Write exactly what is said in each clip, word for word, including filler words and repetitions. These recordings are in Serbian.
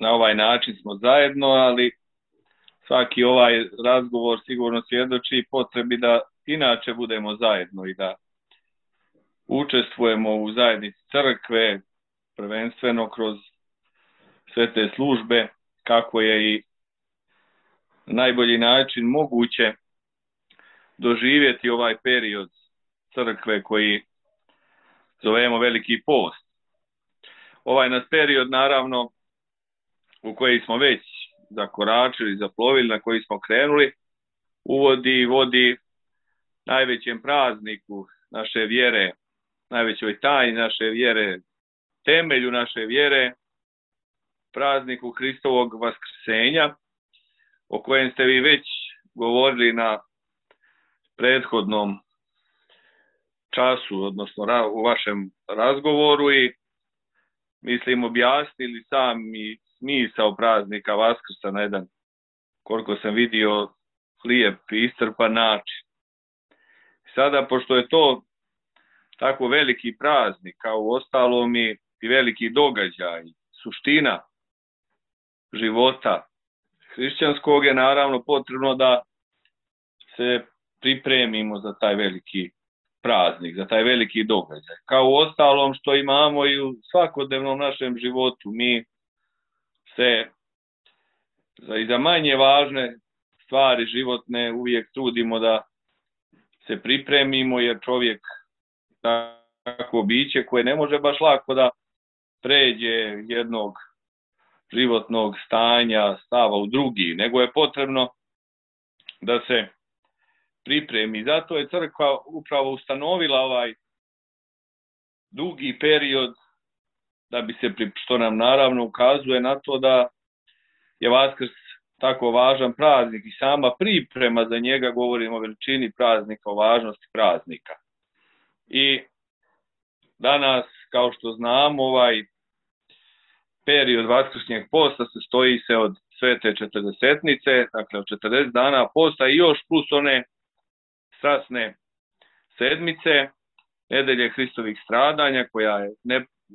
na ovaj način smo zajedno, ali svaki ovaj razgovor sigurno svjedoči potrebi da inače budemo zajedno i da učestvujemo u zajednici crkve, prvenstveno kroz sve te službe, kako je i na najbolji način moguće doživjeti ovaj period crkve koji zovemo Veliki post. Ovaj nas period, naravno, u koji smo već zakoračili, zaplovili, na koji smo krenuli, uvodi i vodi najvećem prazniku naše vjere, najvećoj tajni naše vjere, temelju naše vjere, prazniku Hristovog vaskrsenja, o kojem ste vi već govorili na prethodnom času, odnosno u vašem razgovoru, i mislim objasnili sami smisao praznika Vaskrsa na jedan, koliko sam vidio, lijep i iscrpan način. Sada, pošto je to tako veliki praznik, kao u ostalom i veliki događaj, suština života hrišćanskog, je naravno potrebno da se pripremimo za taj veliki praznik, za taj veliki događaj. Kao u ostalom što imamo i u svakodnevnom našem životu, mi se i za manje važne stvari životne uvijek trudimo da se pripremimo, jer čovjek tako biće koje ne može baš lako da pređe jednog životnog stanja, stava u drugi, nego je potrebno da se pripremi. Zato je crkva upravo ustanovila ovaj dugi period, da bi se, što nam naravno ukazuje na to da je Vaskrs tako važan praznik i sama priprema za njega, govorimo o veličini praznika, o važnosti praznika. I danas, kao što znamo, ovaj period Vaskršnjeg posta sastoji se od svete četrdesetnice, dakle od četrdeset dana posta i još plus one strasne sedmice, nedelje Hristovih stradanja, koja je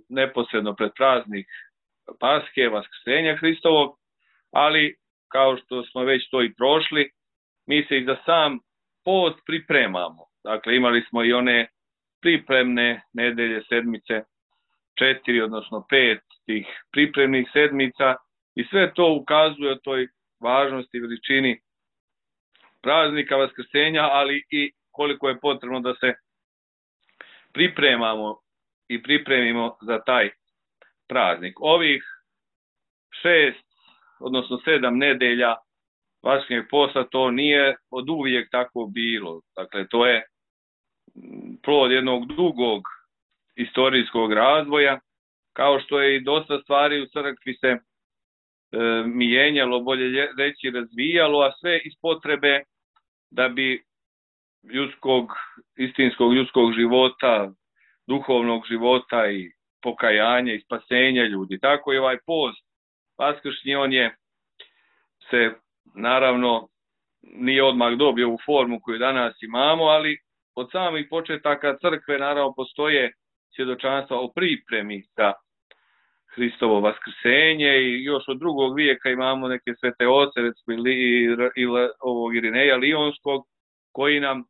neposredno pred praznik Paske, Vaskrsenja Hristovog, ali kao što smo već to i prošli, mi se i za sam post pripremamo. Dakle, imali smo i one pripremne nedelje, sedmice, četiri, odnosno pet tih pripremnih sedmica, i sve to ukazuje o toj važnosti i veličini praznika Vaskrsenja, ali i koliko je potrebno da se pripremamo i pripremimo za taj praznik. Ovih šest, odnosno sedam nedelja Vaskršnjeg posta, to nije od uvijek tako bilo. Dakle, to je plod jednog dugog istorijskog razvoja, kao što je i dosta stvari u crkvi se e, mijenjalo, bolje reći razvijalo, a sve iz potrebe da bi ljudskog, istinskog ljudskog života, duhovnog života i pokajanja i spasenja ljudi. Tako je ovaj post vaskršnji, on je se naravno nije odmah dobio u formu koju danas imamo, ali od samih početaka crkve naravno postoje svjedočanstva o pripremi za Hristovo vaskrsenje, i još od drugog vijeka imamo neke svete oce, recimo ili ovog Irineja Lionskog, koji nam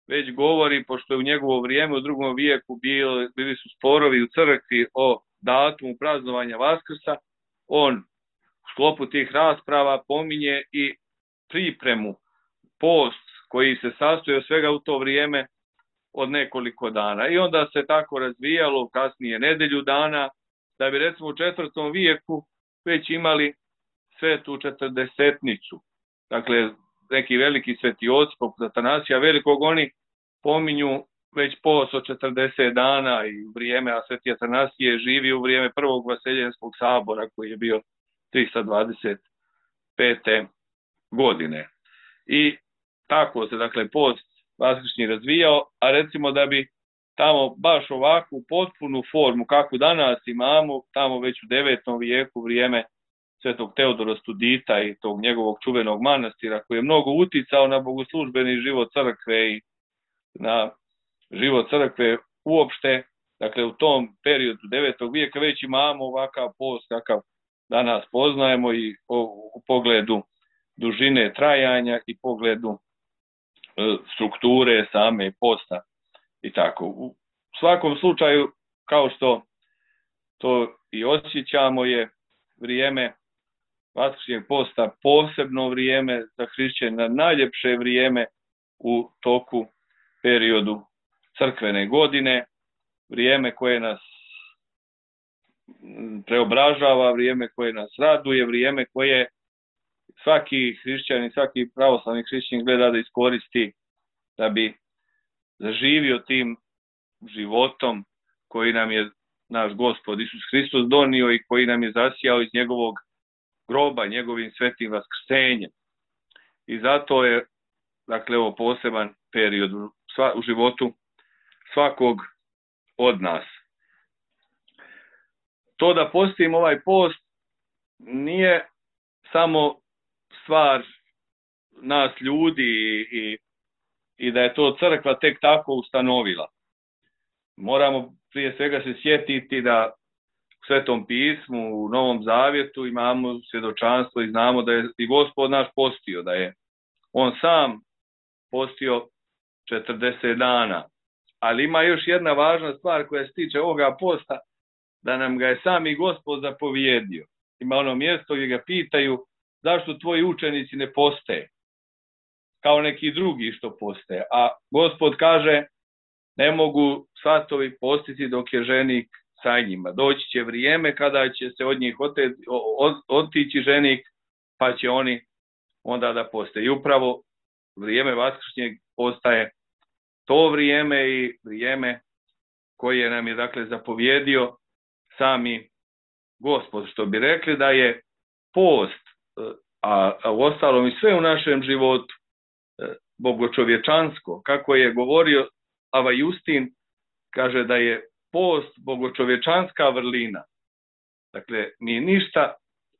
već govori, pošto je u njegovo vrijeme u drugom vijeku bili, bili su sporovi u crkvi o datumu praznovanja Vaskrsa, on u sklopu tih rasprava pominje i pripremu, post koji se sastoji od svega u to vrijeme od nekoliko dana. I onda se tako razvijalo kasnije nedelju dana, da bi recimo u četvrtom vijeku već imali svetu četrdesetnicu. Dakle, neki veliki svetioci, poput Atanasija Velikog, oni pominju već post od četrdeset dana i vrijeme, a sveti Atanasije živi u vrijeme prvog Vaseljenskog sabora, koji je bio tristo dvadeset pete godine. I tako se, dakle, post vaskršnji razvijao, a recimo da bi tamo baš ovakvu potpunu formu kakvu danas imamo, tamo već u devetom vijeku, vrijeme svetog Teodora Studita i tog njegovog čuvenog manastira, koji je mnogo uticao na bogoslužbeni život crkve i na život crkve uopšte. Dakle, u tom periodu devetog vijeka već imamo ovakav post kakav danas poznajemo i u pogledu dužine trajanja i pogledu strukture same posta i tako. U svakom slučaju, kao što to i osjećamo, je vrijeme vaskršnjeg posta posebno vrijeme za hrišćana, najljepše vrijeme u toku periodu crkvene godine, vrijeme koje nas preobražava, vrijeme koje nas raduje, vrijeme koje svaki hrišćanin, svaki pravoslavni hrišćanin gleda da iskoristi da bi zaživio tim životom koji nam je naš Gospod Isus Hristos donio i koji nam je zasijao iz njegovog groba, njegovim svetim vaskrsenjem. I zato je, dakle, ovo poseban period u životu svakog od nas. To da postimo ovaj post nije samo stvar nas ljudi i, i da je to crkva tek tako ustanovila. Moramo prije svega se sjetiti da u Svetom pismu, u Novom Zavjetu imamo svjedočanstvo i znamo da je i Gospod naš postio, da je on sam postio četrdeset dana. Ali ima još jedna važna stvar koja se tiče ovoga posta, da nam ga je sami Gospod zapovjedio. Ima ono mjesto gdje ga pitaju zašto tvoji učenici ne poste kao neki drugi što poste. A Gospod kaže, ne mogu svatovi postiti dok je ženik sa njima. Doći će vrijeme kada će se od njih otići ženik, pa će oni onda da poste. I upravo vrijeme vaskršnjeg postaje to vrijeme i vrijeme koje nam je, dakle, zapovjedio sami Gospod, što bi rekli da je post, a, a u ostalom i sve u našem životu, bogočovječansko. Kako je govorio Ava Justin, kaže da je post bogočovječanska vrlina. Dakle, mi ništa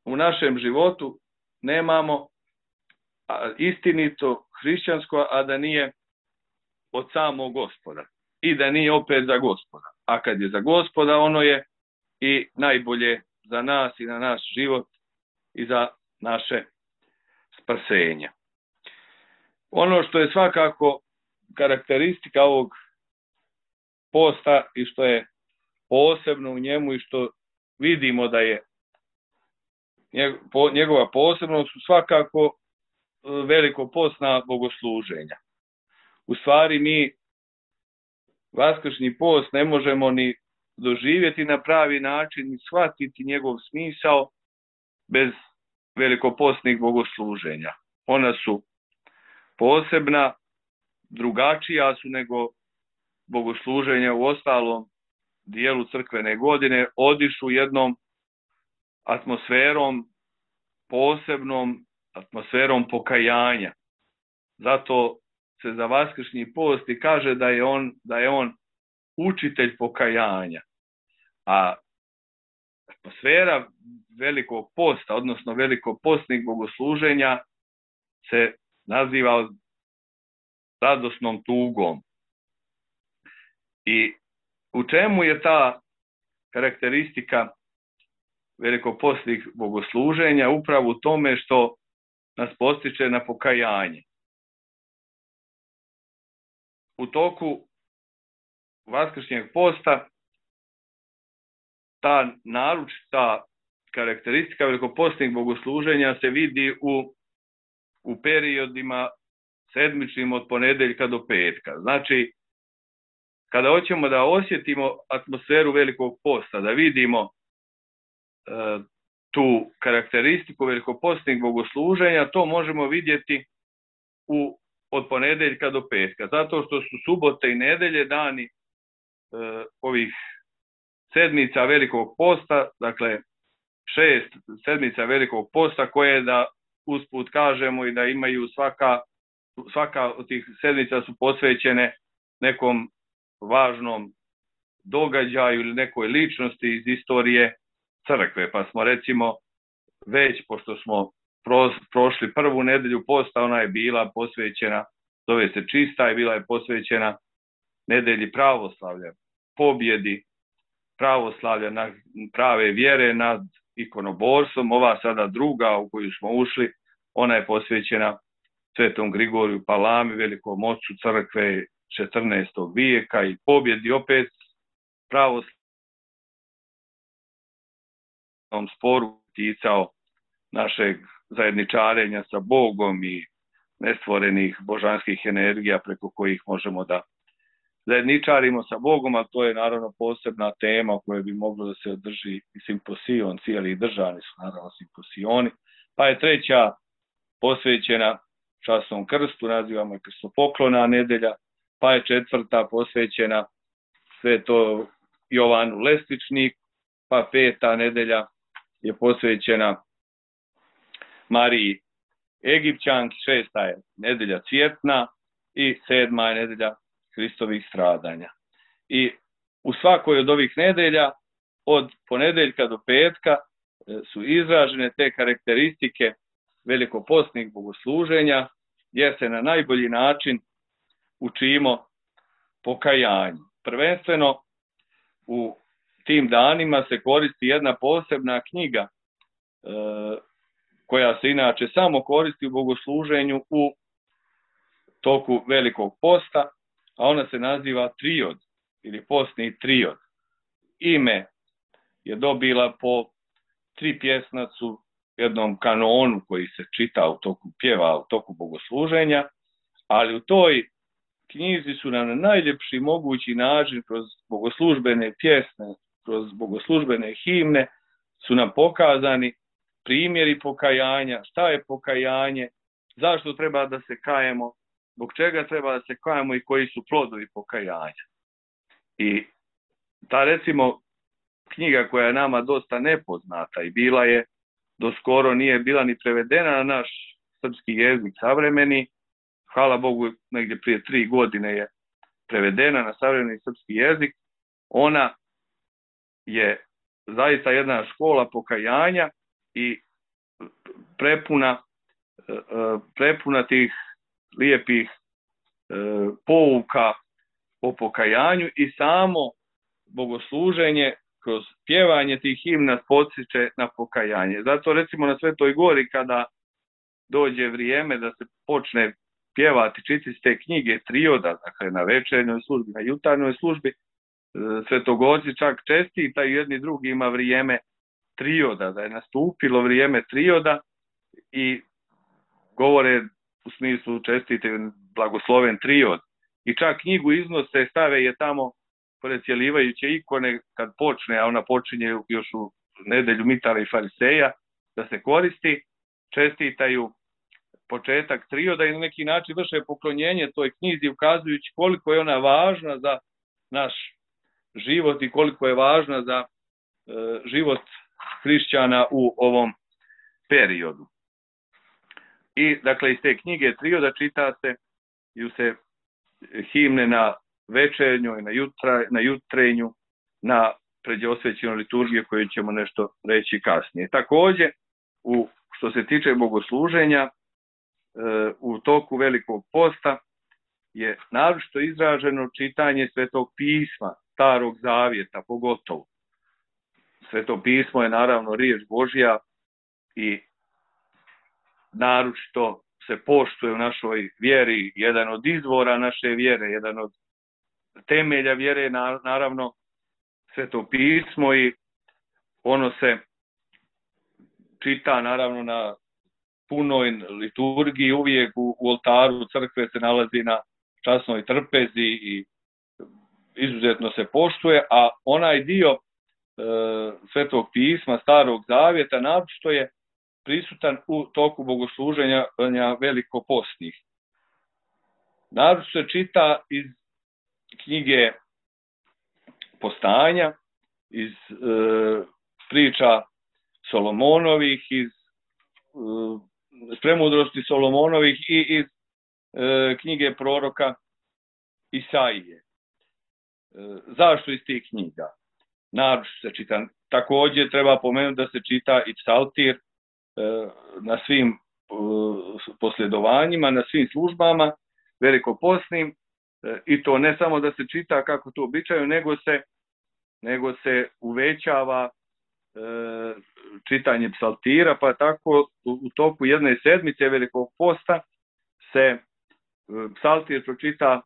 u našem životu nemamo istinito hrišćansko, a da nije od samog Gospoda i da nije opet za Gospoda. A kad je za Gospoda, ono je i najbolje za nas i na naš život i za naše spasenje. Ono što je svakako karakteristika ovog posta i što je posebno u njemu i što vidimo da je njegova posebnost, su svakako veliko postna bogosluženja. U stvari mi vaskršnji post ne možemo ni doživjeti na pravi način i shvatiti njegov smisao bez velikopostnih bogosluženja. Ona su posebna, drugačija su nego bogosluženja u ostalom dijelu crkvene godine, odišu jednom atmosferom, posebnom atmosferom pokajanja. Zato se za vaskršnji post i kaže da je on, da je on učitelj pokajanja. A atmosfera velikog posta, odnosno velikopostnih bogosluženja, se naziva radosnom tugom. I u čemu je ta karakteristika velikopostnih bogosluženja? Upravo u tome što nas postiče na pokajanje. U toku vaskršnjeg posta ta naročita karakteristika velikopostnih bogosluženja se vidi u, u periodima sedmičnim od ponedeljka do petka. Znači, kada hoćemo da osjetimo atmosferu velikog posta, da vidimo e, tu karakteristiku velikopostnih bogosluženja, to možemo vidjeti u, od ponedeljka do petka. Zato što su subote i nedelje dani e, ovih sedmica velikog posta, dakle šest sedmica velikog posta, koje, da usput kažemo, i da imaju svaka, svaka od tih sedmica su posvećene nekom važnom događaju ili nekoj ličnosti iz istorije crkve. Pa smo recimo već, pošto smo pro, prošli prvu nedelju posta, ona je bila posvećena, zove se čista, i bila je posvećena nedelji pravoslavlja, pobjedi pravoslavlja, na prave vjere nad ikonoborstvom. Ova sada druga u koju smo ušli, ona je posvećena Svetom Grigoriju Palami, velikom ocu crkve četrnaestog vijeka i pobjedi opet pravoslavnom sporu ticao našeg zajedničarenja sa Bogom i nestvorenih božanskih energija preko kojih možemo da zajedničarimo sa Bogom, a to je naravno posebna tema o kojoj bi moglo da se održi i simposion, cijeli državni su naravno simposioni. Pa je treća posvećena časnom krstu, nazivamo je krstopoklona nedelja, pa je četvrta posvećena Sveto Jovanu Lestičniku, pa peta nedelja je posvećena Mariji Egipćanki, šesta je nedelja Cvjetna i sedma je nedelja Hristovih stradanja. I u svakoj od ovih nedelja, od ponedeljka do petka, su izražene te karakteristike velikopostnih bogosluženja, gdje se na najbolji način učimo pokajanju. Prvenstveno u tim danima se koristi jedna posebna knjiga e, koja se inače samo koristi u bogosluženju u toku Velikog posta, a ona se naziva Triod ili postni Triod. Ime je dobila po tri pjesnacu jednom kanonu koji se čita u toku pjeva, u toku bogosluženja, ali u toj knjizi su nam na najljepši mogući način kroz bogoslužbene pjesme, kroz bogoslužbene himne su nam pokazani primjeri pokajanja, šta je pokajanje, zašto treba da se kajemo, zbog čega treba da se kajemo i koji su plodovi pokajanja. I ta recimo knjiga koja je nama dosta nepoznata i bila je do skoro nije bila ni prevedena na naš srpski jezik savremeni, hvala Bogu negdje prije tri godine je prevedena na savremeni srpski jezik, ona je zaista jedna škola pokajanja i prepuna, prepuna tih lijepih pouka o pokajanju i samo bogosluženje kroz pjevanje tih himna podsjeća na pokajanje. Zato recimo na Svetoj Gori kada dođe vrijeme da se počne pjevati, čitati te knjige trioda, dakle na večernjoj službi, na jutarnjoj službi, svetogorci čak čestitaju jedni drugima vrijeme trioda, da je nastupilo vrijeme trioda i govore u smislu čestitaju blagosloven triod. I čak knjigu iznose, stave je tamo pored cjelivajuće ikone kad počne, a ona počinje još u nedelju Mitara i Fariseja, da se koristi, čestitaju početak trioda i na neki način vrše poklonjenje toj knjizi ukazujući koliko je ona važna za naš život i koliko je važna za e, život hrišćana u ovom periodu. I dakle iz te knjige trioda čita se ju se himne na večernjoj, na, jutra, na jutrenju, na pređeosvećenoj liturgiji koju ćemo nešto reći kasnije. Također, u, što se tiče bogosluženja, u toku Velikog posta je naročito izraženo čitanje Svetog pisma, Starog zavjeta pogotovo. Sveto pismo je naravno riječ Božja i naročito se poštuje u našoj vjeri, jedan od izvora naše vjere, jedan od temelja vjere je naravno Sveto pismo i ono se čita naravno na punoj liturgiji, uvijek u, u oltaru crkve se nalazi na časnoj trpezi i izuzetno se poštuje, a onaj dio e, Svetog pisma, Starog zavjeta, naročito je prisutan u toku bogosluženja velikopostnih. Naročito se čita iz knjige Postanja, iz e, priča Solomonovih, iz e, premudrosti Solomonovih i iz e, knjige proroka Isaije. E, zašto iz tih knjiga? Naročito se čita. Također treba pomenuti da se čita i psaltir e, na svim e, posljedovanjima, na svim službama velikopostnim, e, i to ne samo da se čita kako to običaju, nego se, nego se uvećava e, čitanje psaltira, pa tako u toku jedne sedmice Velikog posta se psaltir pročita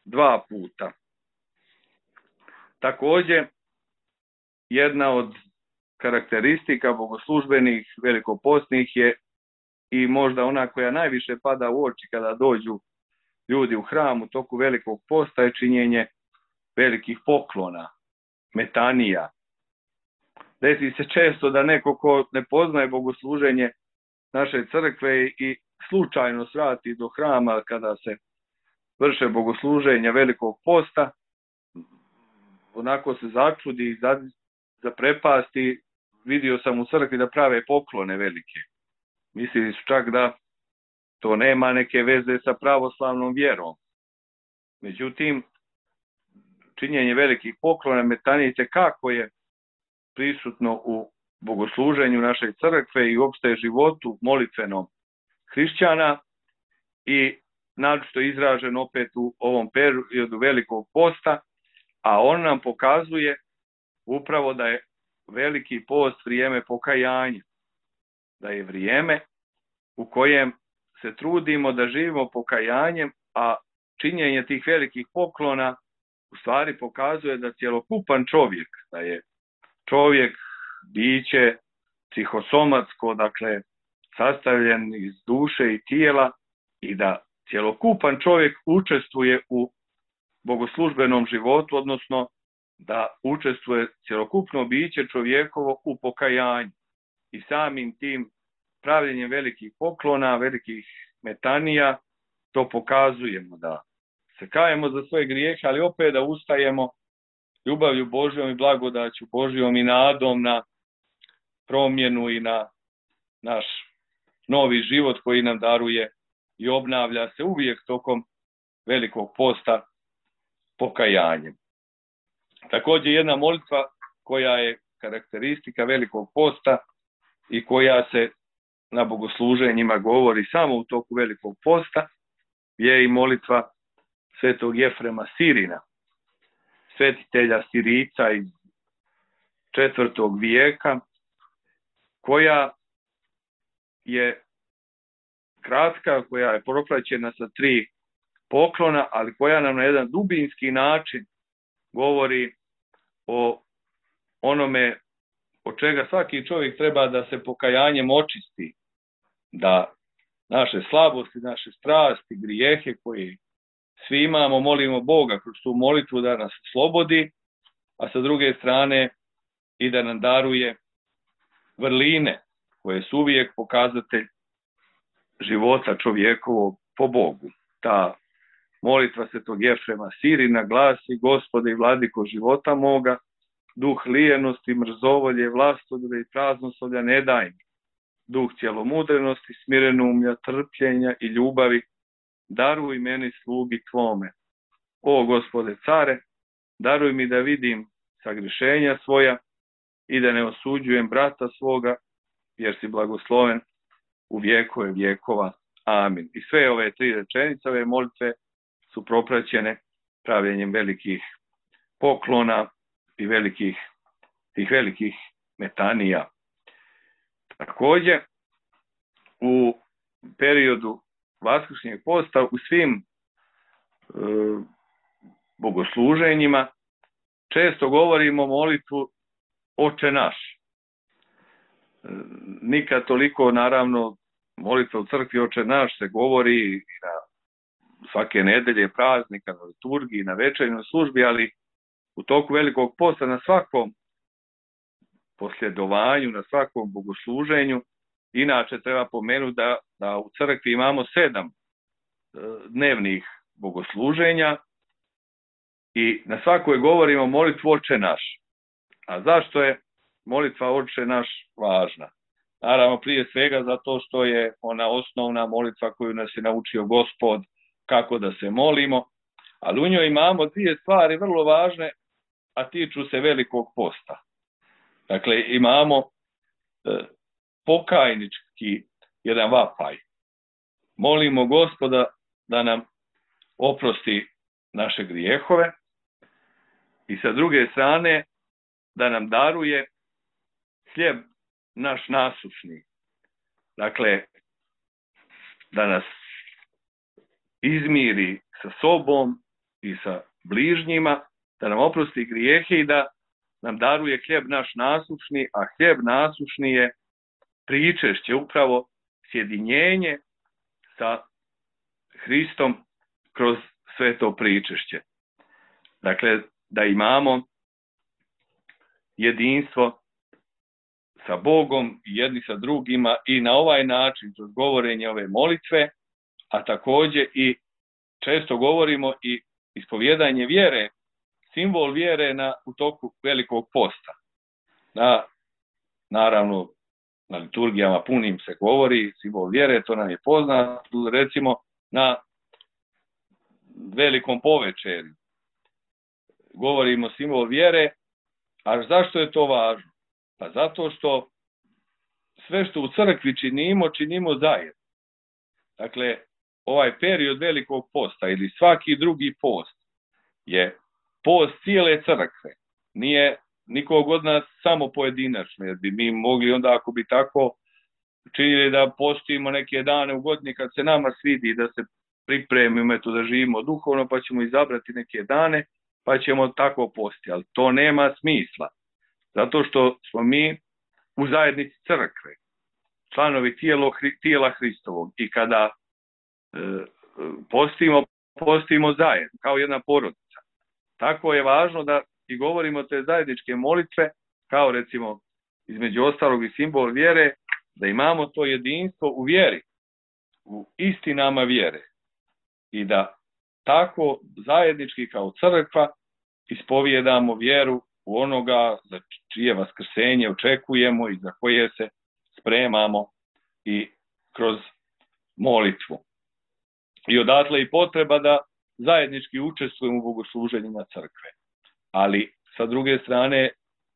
dva puta. Također, jedna od karakteristika bogoslužbenih velikopostnih je i možda ona koja najviše pada u oči kada dođu ljudi u hram u toku Velikog posta je činjenje velikih poklona, metanija. Desi se često da neko ko ne poznaje bogosluženje naše crkve i slučajno svrati do hrama kada se vrše bogosluženja Velikog posta, onako se začudi i zaprepasti, vidio sam u crkvi da prave poklone velike. Mislili su čak da to nema neke veze sa pravoslavnom vjerom. Međutim, činjenje velikih poklona, metanije, kako je prisutno u bogosluženju naše crkve i uopšte životu molitvenom hrišćana i naročito izražen opet u ovom periodu Velikog posta, a on nam pokazuje upravo da je Veliki post vrijeme pokajanja, da je vrijeme u kojem se trudimo da živimo pokajanjem, a činjenje tih velikih poklona u stvari pokazuje da cjelokupan čovjek, da je čovjek biće psihosomatsko, dakle sastavljen iz duše i tijela i da cjelokupan čovjek učestvuje u bogoslužbenom životu, odnosno da učestvuje cjelokupno biće čovjekovo u pokajanju. I samim tim pravljenjem velikih poklona, velikih metanija, to pokazujemo da se kajemo za svoje grijehe, ali opet da ustajemo ljubavlju Božjom i blagodaću Božjom i nadom na promjenu i na naš novi život koji nam daruje i obnavlja se uvijek tokom Velikog posta pokajanjem. Također jedna molitva koja je karakteristika Velikog posta i koja se na bogosluženjima govori samo u toku Velikog posta je i molitva svetog Jefrema Sirina, svetitelja Sirica iz četvrtog vijeka, koja je kratka, koja je propraćena sa tri poklona, ali koja nam na jedan dubinski način govori o onome od čega svaki čovjek treba da se pokajanjem očisti, da naše slabosti, naše strasti, grijehe koje svi imamo, molimo Boga kroz tu molitvu da nas slobodi, a sa druge strane i da nam daruje vrline koje su uvijek pokazatelj života čovjekovog po Bogu. Ta molitva svetog Jefrema Sirina glasi: Gospode i vladiko života moga, duh lijenosti, mrzovolje, vlastodre i praznoslovlja ne daj mi. Duh cjelomudrenosti, smirenumlja, trpljenja i ljubavi daruj meni slugi tvome. O Gospode care, daruj mi da vidim sagrešenja svoja i da ne osuđujem brata svoga, jer si blagosloven u vjekove vjekova. Amin. I sve ove tri rečenice, ove molitve su propraćene pravljenjem velikih poklona i velikih, tih velikih metanija. Također, u periodu vaskršnjeg posta u svim e, bogosluženjima često govorimo molitvu Oče naš. E, nikad toliko, naravno, molitva u crkvi Oče naš se govori na svake nedelje, praznika, na liturgiji, na večernjoj službi, ali u toku Velikog posta na svakom posljedovanju, na svakom bogosluženju. Inače treba pomenuti da, da u crkvi imamo sedam e, dnevnih bogosluženja i na svakoj govorimo molitvu Oče naš. A zašto je molitva Oče naš važna? Naravno, prije svega zato što je ona osnovna molitva koju nas je naučio Gospod kako da se molimo, ali u njoj imamo dvije stvari vrlo važne, a tiču se Velikog posta. Dakle, imamo e, pokajnički jedan vapaj. Molimo Gospoda da nam oprosti naše grijehove i sa druge strane da nam daruje hljeb naš nasušni. Dakle, da nas izmiri sa sobom i sa bližnjima, da nam oprosti grijehe i da nam daruje hljeb naš nasušni, a hljeb nasušni je pričešće, upravo sjedinjenje sa Hristom kroz sve to pričešće. Dakle, da imamo jedinstvo sa Bogom i jedni sa drugima i na ovaj način kroz govorenje ove molitve, a također i često govorimo i ispovjedanje vjere, simbol vjere na, u toku velikog posta. Na, naravno, na liturgijama punim se govori, simbol vjere, to nam je poznato, recimo na velikom povečerju. Govorimo simbol vjere, a zašto je to važno? Pa zato što sve što u crkvi činimo, činimo zajedno. Dakle, ovaj period velikog posta ili svaki drugi post je post cijele crkve. Nije nikog od nas samo pojedinačno, jer bi mi mogli onda, ako bi tako činili, da postimo neke dane u godini kad se nama svidi, da se pripremimo eto, da živimo duhovno, pa ćemo izabrati neke dane, pa ćemo tako postiti. Ali to nema smisla. Zato što smo mi u zajednici crkve, članovi tijelo, tijela Hristovog. I kada e, postimo, postimo zajedno, kao jedna porodica. Tako je važno da i govorimo te zajedničke molitve, kao recimo između ostalog i simbol vjere, da imamo to jedinstvo u vjeri, u istinama vjere. I da tako zajednički kao crkva ispovijedamo vjeru u onoga za čije vaskrsenje očekujemo i za koje se spremamo i kroz molitvu. I odatle i potreba da zajednički učestvujemo u bogosluženjima crkve. Ali sa druge strane,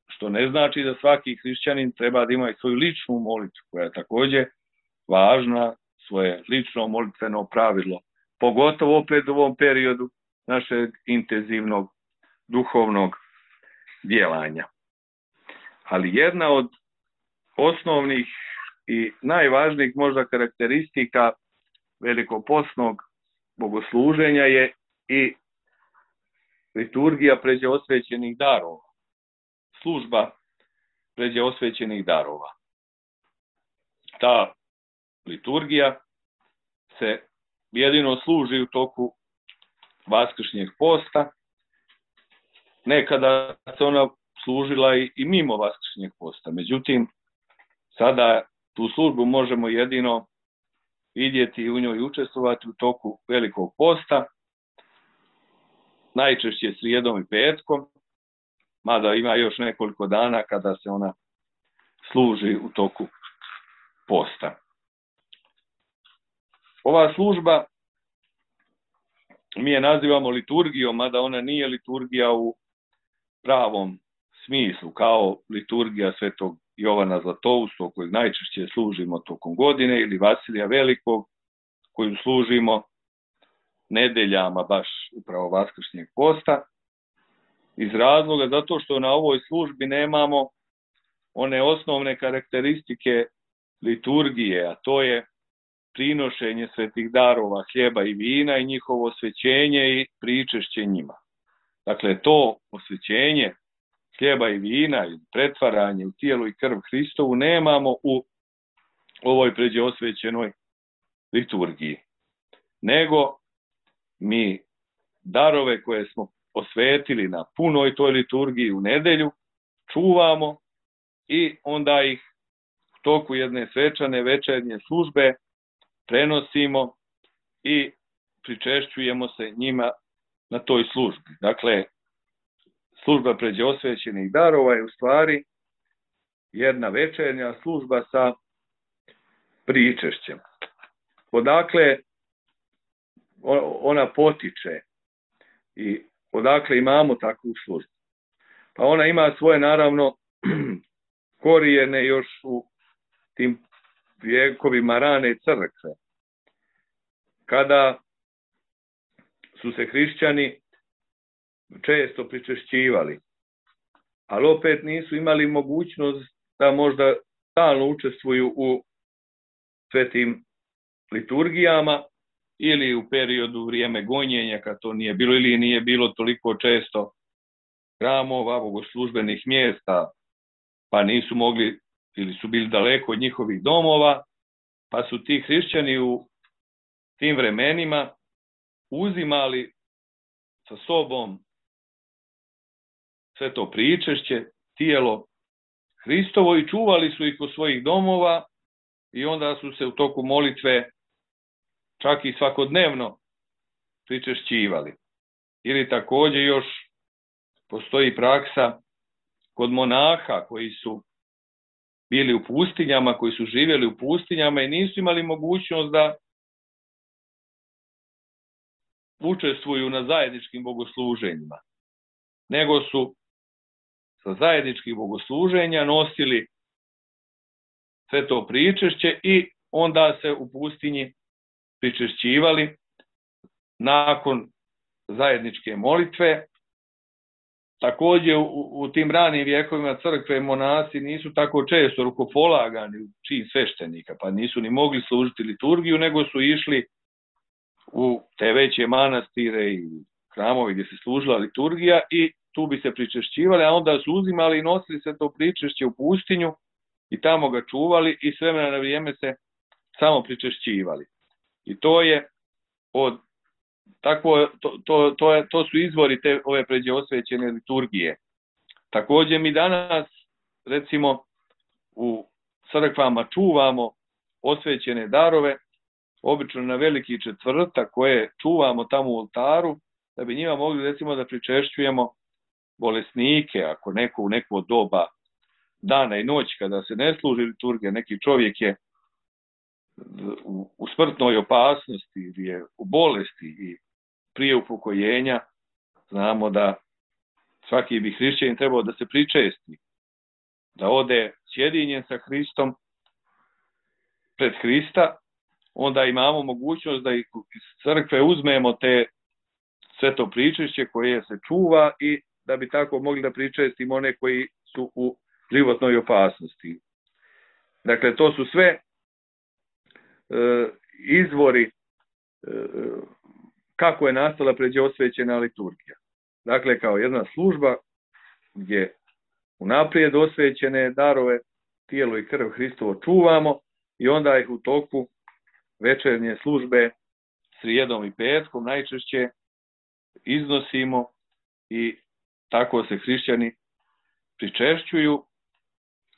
što ne znači da svaki hrišćanin treba da ima i svoju ličnu molitvu, koja je također važna, svoje lično molitveno pravilo, pogotovo opet u ovom periodu našeg intenzivnog duhovnog djelanja. Ali jedna od osnovnih i najvažnijih možda karakteristika velikopostnog bogosluženja je i liturgija pređe osvećenih darova. Služba pređe osvećenih darova. Ta liturgija se jedino služi u toku vaskršnjeg posta. Nekada se ona služila i, i mimo vaskršnjeg posta. Međutim, sada tu službu možemo jedino vidjeti i u njoj učestvovati u toku velikog posta, najčešće srijedom i petkom, mada ima još nekoliko dana kada se ona služi u toku posta. Ova služba mi je nazivamo liturgijom, mada ona nije liturgija u pravom smislu, kao liturgija svetog Jovana Zlatoustog, kojeg najčešće služimo tokom godine, ili Vasilija Velikog, koju služimo nedeljama baš upravo vaskršnjeg posta, iz razloga zato što na ovoj službi nemamo one osnovne karakteristike liturgije, a to je prinošenje svetih darova, hljeba i vina i njihovo osvećenje i pričešće njima. Dakle, to osvećenje hljeba i vina i pretvaranje u tijelo i krv Hristovu nemamo u ovoj pređe osvećenoj liturgiji. Nego mi darove koje smo osvetili na punoj toj liturgiji u nedelju čuvamo i onda ih u toku jedne svečane večernje službe prenosimo i pričešćujemo se njima na toj službi. Dakle, služba pređe osvećenih darova je u stvari jedna večernja služba sa pričešćem. Odakle ona potiče i odakle imamo takvu službu? Pa ona ima svoje, naravno, korijene još u tim vjekovima rane crkve. Kada su se hrišćani često pričešćivali, ali opet nisu imali mogućnost da možda stalno učestvuju u svetim liturgijama ili u periodu vrijeme gonjenja, kad to nije bilo ili nije bilo toliko često hramova, bogoslužbenih mjesta, pa nisu mogli ili su bili daleko od njihovih domova, pa su ti hrišćani u tim vremenima uzimali sa sobom sve to pričešće, tijelo Hristovo i čuvali su ih u svojih domova i onda su se u toku molitve čak i svakodnevno pričešćivali. Ili također još postoji praksa kod monaha koji su bili u pustinjama, koji su živjeli u pustinjama i nisu imali mogućnost da učestvuju na zajedničkim bogosluženjima, nego su sa zajedničkih bogosluženja nosili sve to pričešće i onda se u pustinji pričešćivali nakon zajedničke molitve. Također u, u tim ranim vjekovima crkve monasi nisu tako često rukopolagani u čin sveštenika, pa nisu ni mogli služiti liturgiju, nego su išli u te veće manastire i hramovi gdje se služila liturgija i tu bi se pričešćivali, a onda su uzimali i nosili se to pričešće u pustinju i tamo ga čuvali i s vremena na vrijeme se samo pričešćivali. I to je od tako, to, to, to, je, to su izvori te ove pređe osvećene liturgije. Također mi danas, recimo, u crkvama čuvamo osvećene darove, obično na veliki četvrtak koje čuvamo tamo u oltaru, da bi njima mogli, recimo, da pričešćujemo bolesnike, ako neko u neko doba dana i noći kada se ne služi liturgija, neki čovjek je u, u smrtnoj opasnosti ili je u bolesti i prije upokojenja, znamo da svaki bi hrišćanin trebao da se pričesti, da ode sjedinjen sa Hristom pred Hrista, onda imamo mogućnost da iz crkve uzmemo te sve to pričešće koje se čuva i da bi tako mogli da pričestimo one koji su u životnoj opasnosti. Dakle, to su sve e, izvori e, kako je nastala pređe osvećena liturgija. Dakle, kao jedna služba gdje unaprijed osvećene darove, tijelo i krv Hristovo čuvamo i onda ih u toku večernje službe srijedom i petkom najčešće iznosimo i tako se hrišćani pričešćuju.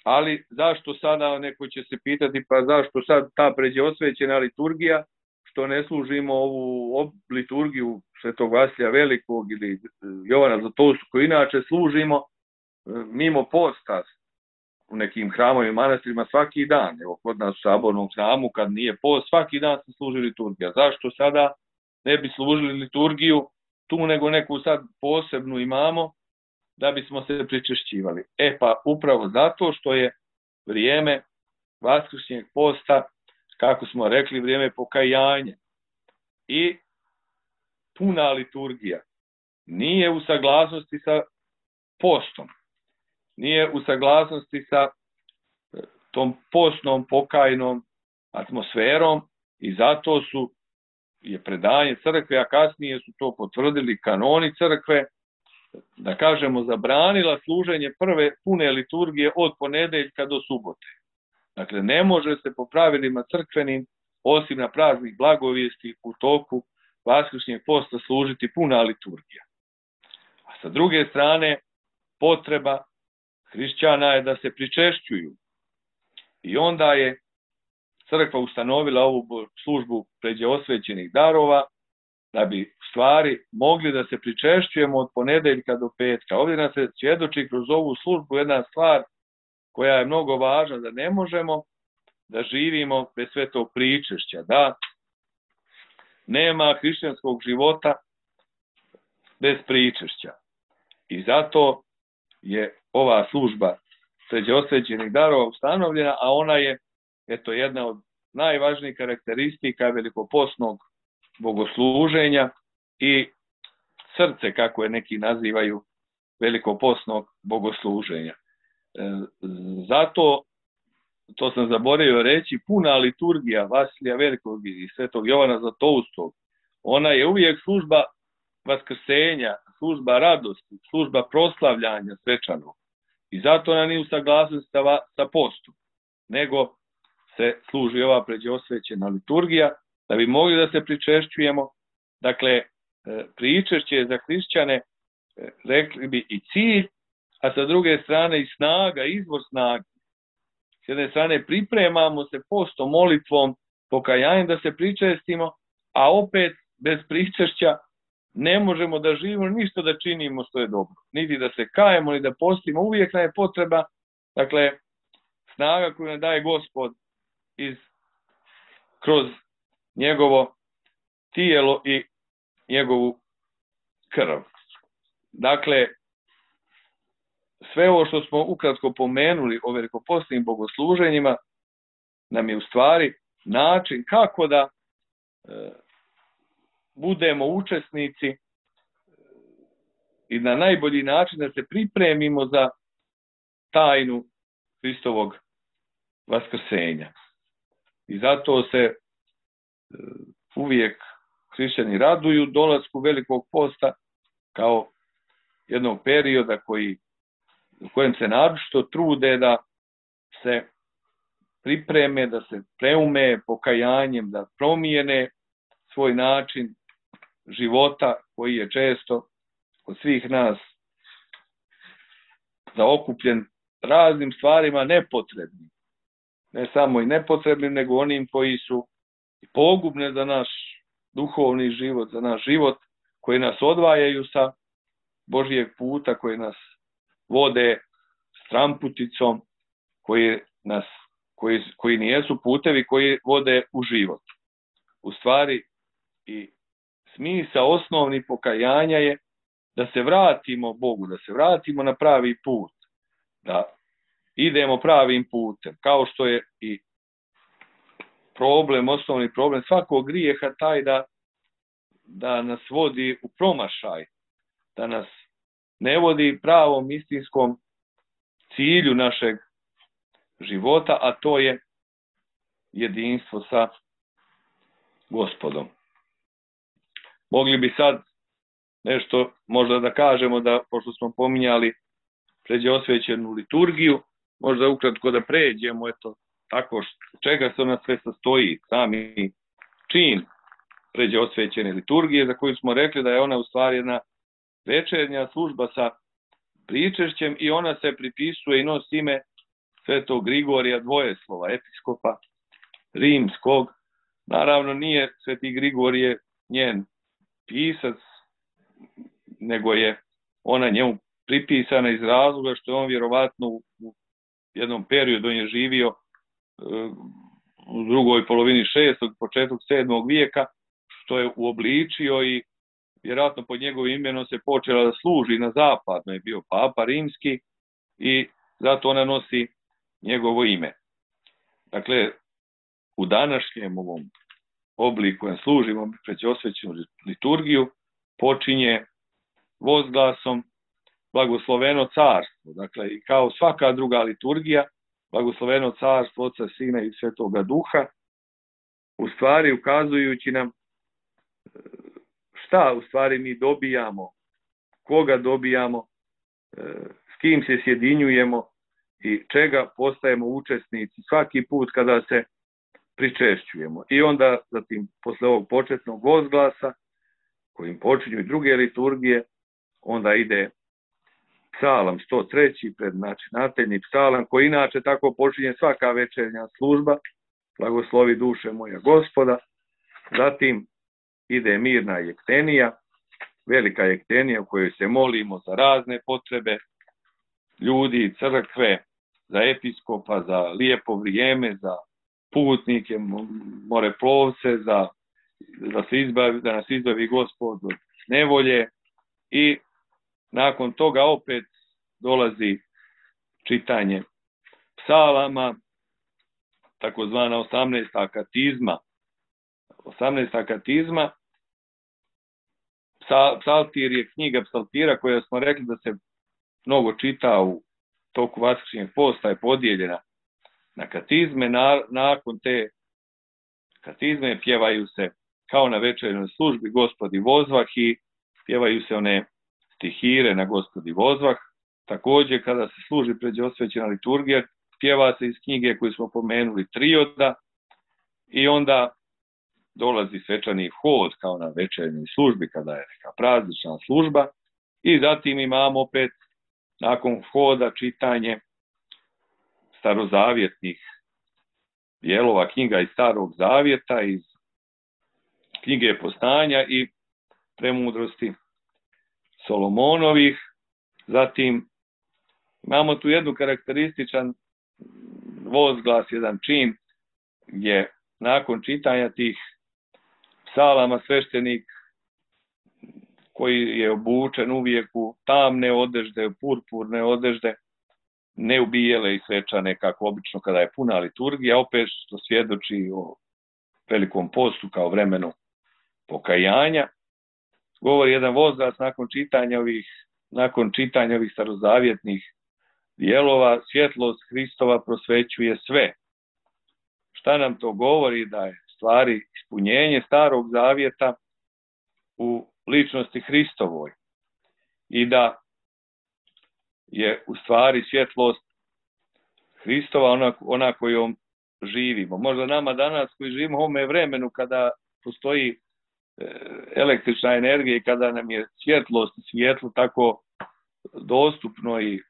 Ali zašto sada, neko će se pitati, pa zašto sad ta pređe osvećena liturgija, što ne služimo ovu liturgiju Svetog Vasilija Velikog ili Jovana Zlatoustog koju inače služimo mimo posta u nekim hramovima i manastirima svaki dan. Evo kod nas u sabornom hramu kad nije post, svaki dan se služi liturgija. Zašto sada ne bi služili liturgiju tu nego neku sad posebnu imamo da bismo se pričešćivali? E pa upravo zato što je vrijeme vaskršnjeg posta, kako smo rekli, vrijeme pokajanja i puna liturgija nije u saglasnosti sa postom, nije u saglasnosti sa tom postnom pokajnom atmosferom i zato su je predanje crkve, a kasnije su to potvrdili kanoni crkve, da kažemo, zabranila služenje prve pune liturgije od ponedeljka do subote. Dakle, ne može se po pravilima crkvenim, osim na praznik blagovijesti, u toku vaskršnjeg posta služiti puna liturgija. A sa druge strane, potreba hrišćana je da se pričešćuju. I onda je crkva ustanovila ovu službu pređe osvećenih darova, da bi u stvari mogli da se pričešćujemo od ponedeljka do petka. Ovdje nas se svjedoči kroz ovu službu jedna stvar koja je mnogo važna, da ne možemo da živimo bez svetog pričešća, da nema hrišćanskog života bez pričešća. I zato je ova služba pređe osvećenih darova ustanovljena, a ona je eto jedna od najvažnijih karakteristika velikopostnog bogosluženja i srce, kako je neki nazivaju, velikopostnog bogosluženja. Zato to sam zaboravio reći, puna liturgija Vasilija Velikog i Svetog Jovana Zlatoustog, ona je uvijek služba vaskrsenja, služba radosti, služba proslavljanja svečanog. I zato ona nije u saglasnosti sa, sa postom, nego se služi ova pređeosvećena liturgija, da bi mogli da se pričešćujemo. Dakle, pričešće je za hrišćane, rekli bi, i cilj, a sa druge strane i snaga, izvor snage. S jedne strane pripremamo se postom, molitvom, pokajanjem da se pričestimo, a opet bez pričešća ne možemo da živimo ništa da činimo što je dobro. Niti da se kajemo, ni da postimo. Uvijek nam je potreba, dakle, snaga koju nam daje Gospod iz, kroz njegovo tijelo i njegovu krv. Dakle, sve ovo što smo ukratko pomenuli o velikopostnim bogosluženjima nam je u stvari način kako da e, budemo učesnici i na najbolji način da se pripremimo za tajnu Hristovog vaskrsenja. I zato se e, uvijek hrišćani raduju dolasku Velikog posta kao jednog perioda koji, u kojem se naročito trude da se pripreme, da se preume pokajanjem, da promijene svoj način života koji je često kod svih nas zaokupljen raznim stvarima nepotrebnim. Ne samo i nepotrebnim, nego onim koji su pogubne za naš duhovni život, za naš život, koji nas odvajaju sa Božijeg puta, koji nas vode stramputicom, koji, nas, koji, koji nijesu putevi koji vode u život. U stvari, i smisao osnovni pokajanja je da se vratimo Bogu, da se vratimo na pravi put, da idemo pravim putem, kao što je i problem, osnovni problem svakog grijeha taj da, da nas vodi u promašaj, da nas ne vodi pravom istinskom cilju našeg života, a to je jedinstvo sa Gospodom. Mogli bi sad nešto možda da kažemo, da pošto smo pominjali pređeosvećenu liturgiju, možda ukratko da pređemo, eto, tako što, čega se ona sve sastoji, sami čin pređeosvećene liturgije, za koju smo rekli da je ona u stvari jedna večernja služba sa pričešćem i ona se pripisuje i nosi ime Svetog Grigorija Dvojeslova, episkopa rimskog. Naravno, nije Sveti Grigorije njen pisac, nego je ona njemu pripisana iz razloga što je on vjerovatno u jednom periodu, on je živio u drugoj polovini šestog, početak sedmog vijeka, što je uobličio i vjerojatno pod njegovim imenom se počela da služi na zapadno, je bio papa rimski i zato ona nosi njegovo ime. Dakle, u današnjem ovom obliku kojem služimo pređeosvećenu liturgiju počinje vozglasom Blagosloveno carstvo. Dakle, i kao svaka druga liturgija, Blagosloveno carstvo Oca, Sina i Svetoga Duha, u stvari ukazujući nam šta u stvari mi dobijamo, koga dobijamo, s kim se sjedinjujemo i čega postajemo učesnici svaki put kada se pričešćujemo. I onda, zatim, posle ovog početnog vozglasa, kojim počinju i druge liturgije, onda ide psalam sto treći, prednačinateljni psalam, koji inače tako počinje svaka večernja služba, blagoslovi duše moja Gospoda. Zatim ide mirna jektenija, velika jektenija u kojoj se molimo za razne potrebe ljudi, crkve, za episkopa, za lijepo vrijeme, za putnike, moreplovce, za, da, se izbavi, da nas izbavi Gospod od nevolje. I nakon toga opet dolazi čitanje psalama, takozvana osamnaesta katizma. osamnaesta katizma, psaltir je knjiga psaltira koja smo rekli da se mnogo čita u toku vaskršnjeg posta, je podijeljena na katizme, na, nakon te katizme pjevaju se kao na večernoj službi Gospodi vozvah i pjevaju se one stihire na Gospodi vozvah. Također kada se služi pređosvećena liturgija, pjeva se iz knjige koju smo pomenuli trioda i onda dolazi svečani hod kao na večernoj službi kada je neka praznična služba i zatim imamo opet nakon hoda čitanje starozavjetnih dijelova knjiga iz Starog zavjeta, iz knjige Postanja i Premudrosti Solomonovih. Zatim imamo tu jednu karakterističan vozglas, jedan čin gdje nakon čitanja tih psalama sveštenik koji je obučen uvijek u tamne odežde, purpurne odežde, ne u bijele i svečane kako obično kada je puna liturgija, opet što svjedoči o velikom postu kao vremenu pokajanja. Govori jedan vozglas nakon čitanja ovih, nakon čitanja ovih starozavjetnih dijelova, svjetlost Hristova prosvećuje sve. Šta nam to govori? Da je stvari ispunjenje Starog zavjeta u ličnosti Hristovoj i da je u stvari svjetlost Hristova ona, ona kojom živimo. Možda nama danas koji živimo u ovome vremenu kada postoji električna energija i kada nam je svjetlost i svjetlo tako dostupno i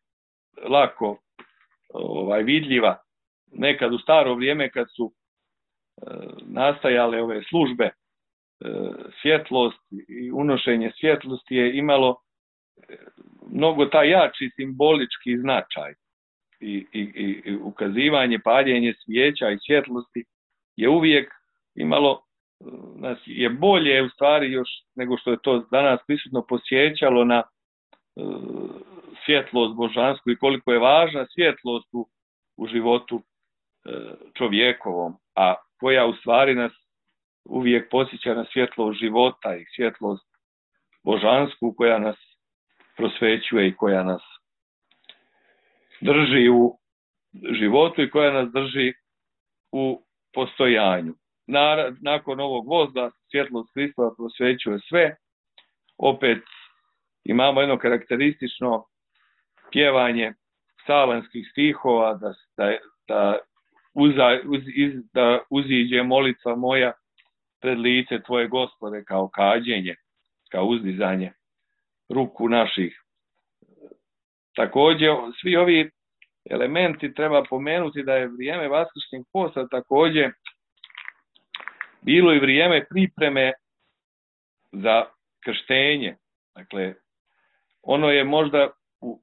lako ovaj, vidljiva. Nekad u staro vrijeme kad su e, nastajale ove službe, e, svjetlost i unošenje svjetlosti je imalo mnogo taj jači simbolički značaj i, i, i ukazivanje, paljenje svijeća i svjetlosti je uvijek imalo, nas je bolje u stvari još nego što je to danas prisutno posjećalo na uh, svjetlost božansku i koliko je važna svjetlost u, u životu uh, čovjekovom, a koja u stvari nas uvijek posjeća na svjetlost života i svjetlost božansku koja nas prosvećuje i koja nas drži u životu i koja nas drži u postojanju. Nakon ovog vozda svjetlost Hristova prosvećuje sve. Opet imamo jedno karakteristično pjevanje psalamskih stihova da, da, da, uza, uz, iz, da uziđe molitva moja pred lice tvoje Gospode kao kađenje, kao uzdizanje ruku naših. Također svi ovi elementi treba pomenuti da je vrijeme vaskršnjeg posta također bilo i vrijeme pripreme za krštenje. Dakle, ono je možda u,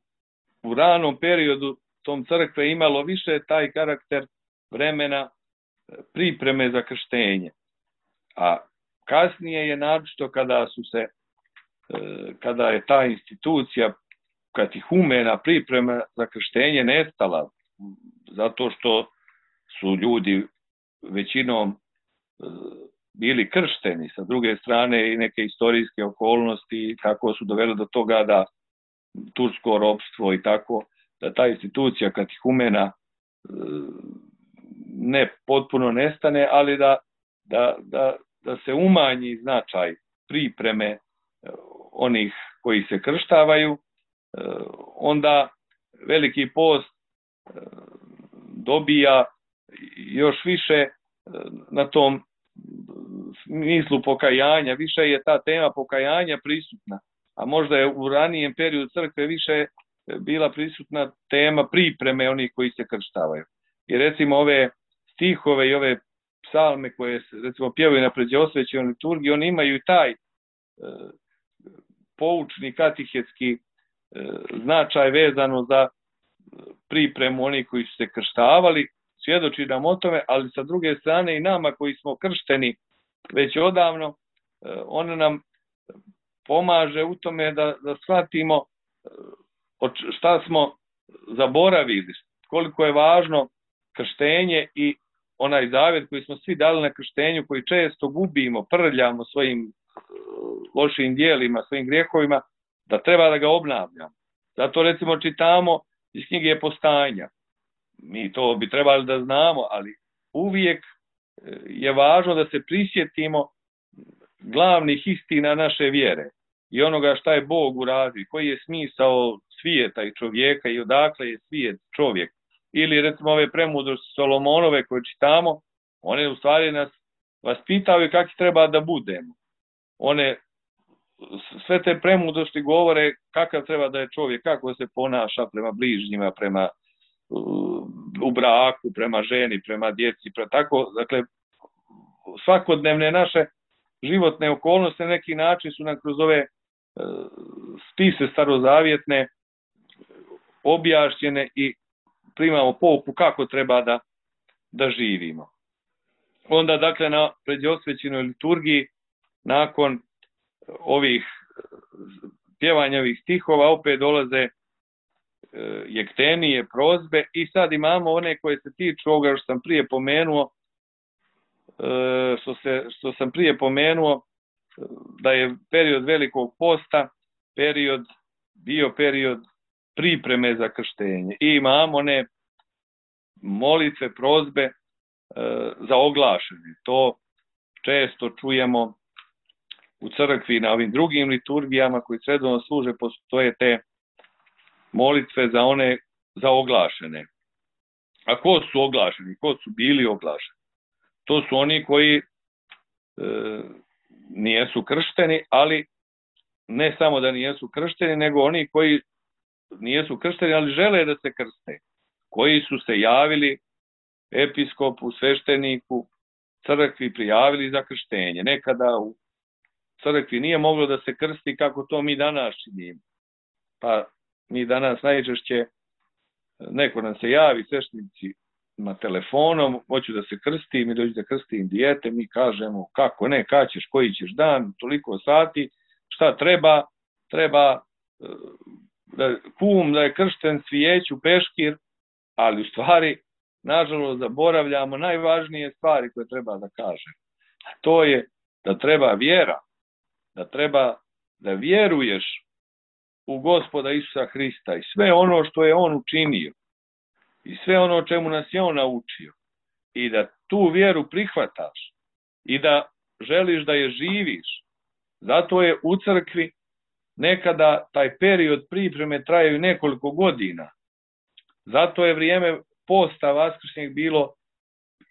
u ranom periodu tom crkve imalo više taj karakter vremena pripreme za krštenje. A kasnije je naročito kada su se, kada je ta institucija katihumena priprema za krštenje nestala, zato što su ljudi većinom bili kršteni, sa druge strane i neke istorijske okolnosti kako su doveli do toga da tursko ropstvo i tako, da ta institucija katihumena ne potpuno nestane, ali da, da, da, da se umanji značaj pripreme onih koji se krštavaju, onda Veliki post dobija još više na tom smislu pokajanja, više je ta tema pokajanja prisutna, a možda je u ranijem periodu crkve više bila prisutna tema pripreme onih koji se krštavaju. I recimo ove stihove i ove psalme koje se recimo pjevaju na pređosvećenoj liturgiji, oni imaju taj e, poučni katehetski e, značaj vezano za pripremu onih koji su se krštavali, svjedoči nam o tome, ali sa druge strane i nama koji smo kršteni već odavno, e, on nam pomaže u tome da, da shvatimo šta smo zaboravili, koliko je važno krštenje i onaj zavjet koji smo svi dali na krštenju, koji često gubimo, prljamo svojim lošim dijelima, svojim grijehovima, da treba da ga obnavljamo. Zato recimo čitamo iz knjige Postanja. mi to bi trebali da znamo, ali uvijek je važno da se prisjetimo glavnih istina naše vjere i onoga šta je Bog uradio, koji je smisao svijeta i čovjeka i odakle je svijet čovjek. Ili recimo ove premudrosti Solomonove koje čitamo, one u stvari nas vaspitaju kako treba da budemo. One sve te premudrosti govore kakav treba da je čovjek, kako se ponaša prema bližnjima, prema u braku, prema ženi, prema djeci, prema tako, dakle, svakodnevne naše životne okolnosti na neki način su nam kroz ove spise starozavjetne objašnjene i primamo pouku kako treba da, da živimo. Onda, dakle, na predosvećenoj liturgiji, nakon ovih pjevanja ovih stihova, opet dolaze jektenije, prozbe i sad imamo one koje se tiču ovoga što sam prije pomenuo, što, se, što sam prije pomenuo, da je period Velikog posta, period, bio period pripreme za krštenje. I imamo one molitve, prozbe za oglašenje. To često čujemo u crkvi na ovim drugim liturgijama koji redovno služe, postoje te molitve za one za oglašene. A ko su oglašeni? Ko su bili oglašeni? To su oni koji e, nijesu kršteni, ali ne samo da nijesu kršteni, nego oni koji nijesu kršteni, ali žele da se krste. Koji su se javili episkopu, svešteniku, crkvi, prijavili za krštenje. Nekada u crkvi nije moglo da se krsti kako to mi danas činimo. Pa mi danas najčešće neko nam se javi, sveštenici na telefonom, hoću da se krstim i dođu da krstim dijete, mi kažemo kako ne, kad ćeš, koji ćeš dan, toliko sati, šta treba, treba da, kum da je kršten, svijeću, peškir, ali u stvari, nažalost, zaboravljamo najvažnije stvari koje treba da kažem. A to je da treba vjera, da treba da vjeruješ u Gospoda Isusa Hrista i sve ono što je on učinio i sve ono o čemu nas je on naučio i da tu vjeru prihvataš i da želiš da je živiš. Zato je u crkvi nekada taj period pripreme trajaju nekoliko godina. Zato je vrijeme posta vaskršnjeg bilo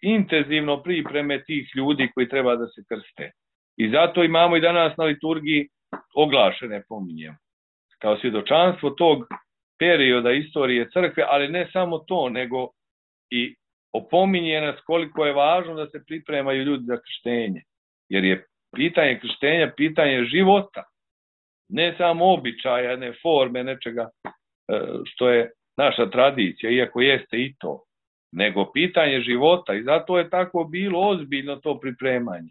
intenzivno pripreme tih ljudi koji treba da se krste. I zato imamo i danas na liturgiji oglašene, pominjemo, kao svjedočanstvo tog perioda istorije crkve, ali ne samo to, nego i opominje nas koliko je važno da se pripremaju ljudi za krštenje. Jer je pitanje krštenja pitanje života, ne samo običaja, ne forme, nečega što je naša tradicija, iako jeste i to, nego pitanje života. I zato je tako bilo ozbiljno to pripremanje.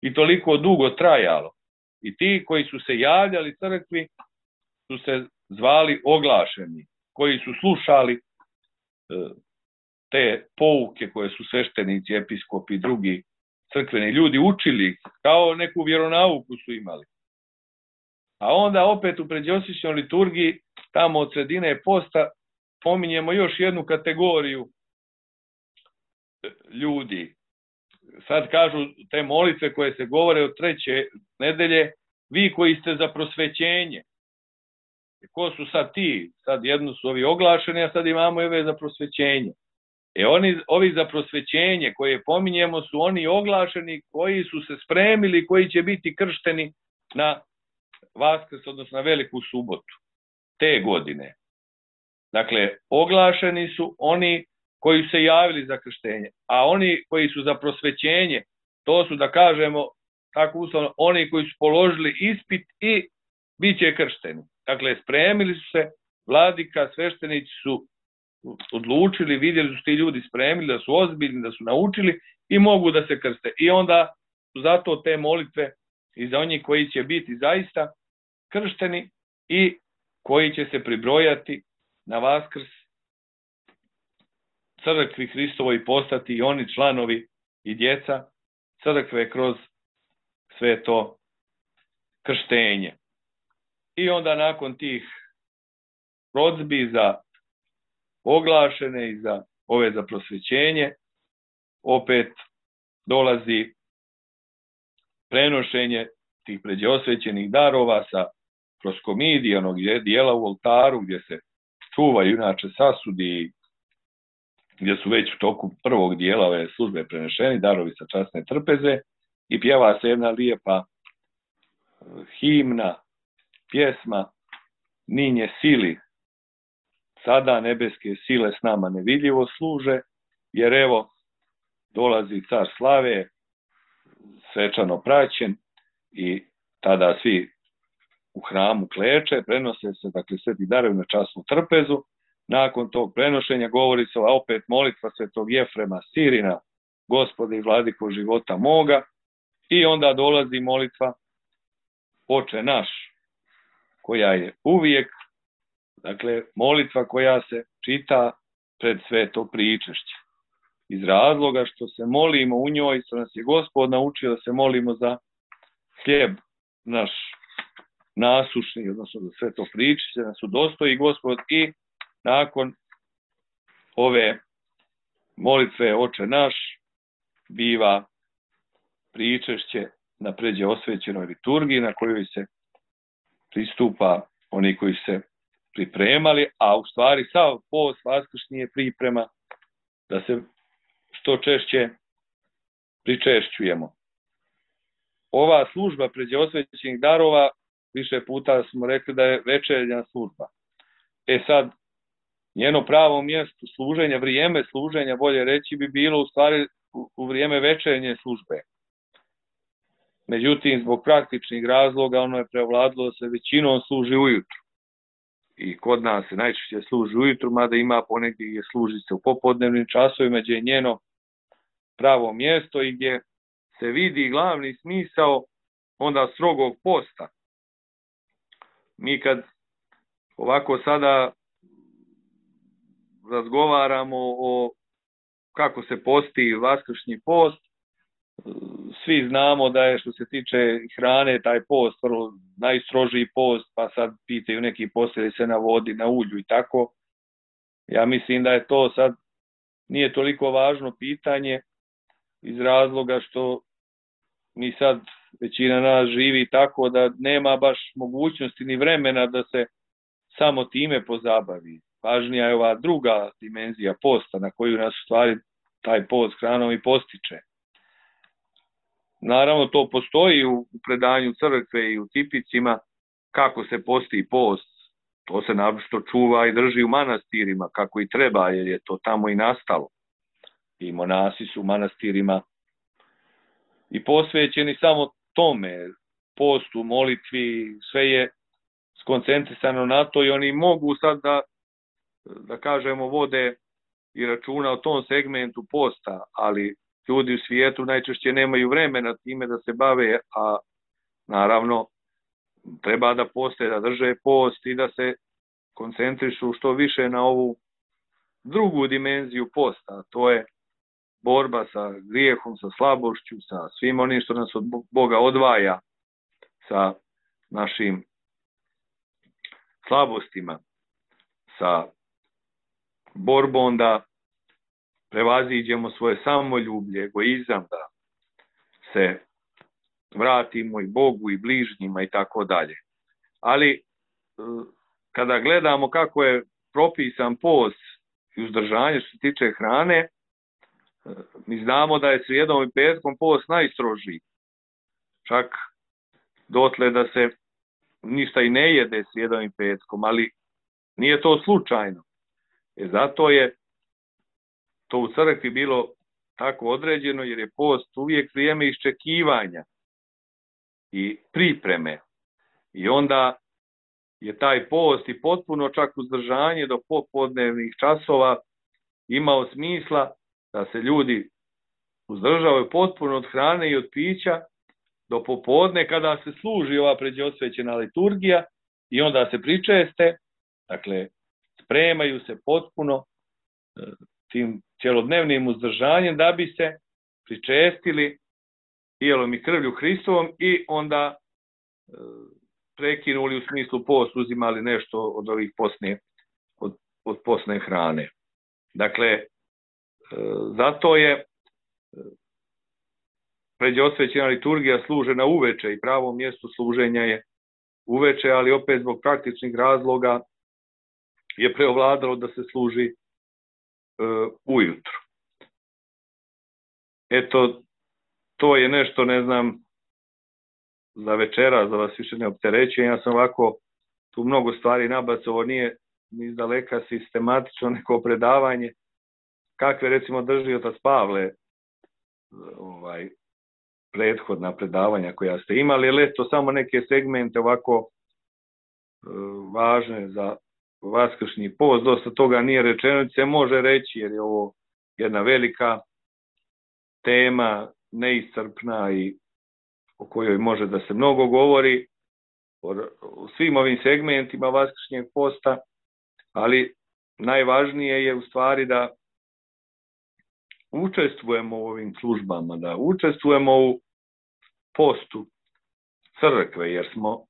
I toliko dugo trajalo. I ti koji su se javljali crkvi su se zvali oglašeni, koji su slušali te pouke koje su sveštenici, episkopi i drugi crkveni ljudi učili, kao neku vjeronauku su imali. A onda opet u predosvećenoj liturgiji, tamo od sredine posta, pominjemo još jednu kategoriju ljudi. Sad kažu te molitve koje se govore od treće nedelje, vi koji ste za prosvećenje. Ko su sad ti? Sad jedno su ovi oglašeni, a sad imamo i ove za prosvećenje. E oni, ovi za prosvećenje koje pominjemo su oni oglašeni koji su se spremili, koji će biti kršteni na Vaskrs, odnosno na Veliku subotu te godine. Dakle, oglašeni su oni koji su se javili za krštenje, a oni koji su za prosvećenje, to su, da kažemo tako uslovno, oni koji su položili ispit i bit će kršteni. Dakle, spremili su se, vladika, sveštenici su odlučili, vidjeli su ti ljudi spremili, da su ozbiljni, da su naučili i mogu da se krste. I onda su zato te molitve i za onih koji će biti zaista kršteni i koji će se pribrojati na Vaskrs crkvi Hristovoj, postati i oni članovi i djeca crkve kroz sve to krštenje. I onda nakon tih prozbi za oglašene i za ove za prosvećenje, opet dolazi prenošenje tih pređeosvećenih darova sa proskomidije, onog dijela u oltaru gdje se čuvaju inače sasudi, gdje su već u toku prvog dijela ove službe prenešeni darovi sa časne trpeze i pjeva se jedna lijepa himna, pjesma Ninje sili, sada nebeske sile s nama nevidljivo služe, jer evo dolazi car slave, svečano praćen i tada svi u hramu kleče, prenose se, dakle, sveti darovi na časnu trpezu. Nakon tog prenošenja govori se opet molitva svetog Jefrema Sirina, Gospode i vladiko života moga, i onda dolazi molitva Oče naš, koja je uvijek, dakle, molitva koja se čita pred sveto pričešće. Iz razloga što se molimo u njoj, što nas je Gospod naučio da se molimo za hljeb naš nasušni, odnosno za sveto pričešće, da nas udostoji Gospod, i nakon ove molitve Oče naš biva pričešće na pređe osvećenoj liturgiji na kojoj se pristupa oni koji se pripremali, a u stvari sav post vaskršnji je priprema da se što češće pričešćujemo. Ova služba pređe osvećenih darova, više puta smo rekli da je večernja služba. E sad, njeno pravo mjesto služenja, vrijeme služenja, bolje reći, bi bilo u stvari u vrijeme večernje službe. Međutim, zbog praktičnih razloga ono je prevladilo da se većinom služi ujutru. I kod nas se najčešće služi ujutru, mada ima ponegdje gdje služi se u popodnevnim časovima, gdje je njeno pravo mjesto i gdje se vidi glavni smisao onda strogog posta. Mi kad ovako sada razgovaramo o kako se posti vaskršnji post, svi znamo da je, što se tiče hrane, taj post vrlo najstrožiji post, pa sad pitaju neki postili se na vodi, na ulju i tako. Ja mislim da je to sad nije toliko važno pitanje iz razloga što mi sad većina nas živi tako da nema baš mogućnosti ni vremena da se samo time pozabavi. Važnija je ova druga dimenzija posta na koju nas u stvari taj post hranom i postiče. Naravno, to postoji u predanju crkve i u tipicima kako se posti post. To se naprosto čuva i drži u manastirima kako i treba, jer je to tamo i nastalo. I monasi su u manastirima i posvećeni samo tome, postu, molitvi, sve je skoncentrisano na to i oni mogu sad da, da kažemo, vode i računa o tom segmentu posta, ali ljudi u svijetu najčešće nemaju vremena time da se bave, a naravno treba da poste, da drže post i da se koncentrišu što više na ovu drugu dimenziju posta, a to je borba sa grijehom, sa slabošću, sa svim onim što nas od Boga odvaja, sa našim slabostima, sa borbom da prevaziđemo svoje samoljublje, egoizam, da se vratimo i Bogu i bližnjima i tako dalje. Ali kada gledamo kako je propisan post i uzdržanje što se tiče hrane, mi znamo da je srijedom i petkom post najstrožiji. Čak dotle da se ništa i ne jede srijedom i petkom, ali nije to slučajno. E zato je to u crkvi bilo tako određeno, jer je post uvijek vrijeme iščekivanja i pripreme. I onda je taj post i potpuno čak uzdržanje do popodnevnih časova imao smisla da se ljudi uzdržavaju potpuno od hrane i od pića do popodne kada se služi ova pređeosvećena liturgija i onda se pričeste, dakle spremaju se potpuno tim cjelodnevnim uzdržanjem da bi se pričestili tijelom i krvlju Hristovom i onda prekinuli u smislu post, uzimali nešto od ovih posne, od, od posne hrane. Dakle, zato je pređeosvećena liturgija služena uveče i pravo mjesto služenja je uveče, ali opet zbog praktičnih razloga je preovladalo da se služi uh, ujutru. Eto, to je nešto, ne znam, za večera, za vas više ne opterećujem. Ja sam ovako tu mnogo stvari nabacao, nije ni izdaleka sistematično neko predavanje, kakve recimo drži otac Pavle ovaj, prethodna predavanja koja ste imali, ali eto samo neke segmente ovako e, važne za vaskršnji post. Dosta toga nije rečeno, se može reći jer je ovo jedna velika tema, neiscrpna i o kojoj može da se mnogo govori o svim ovim segmentima vaskršnjeg posta, ali najvažnije je u stvari da učestvujemo u ovim službama, da učestvujemo u postu crkve, jer smo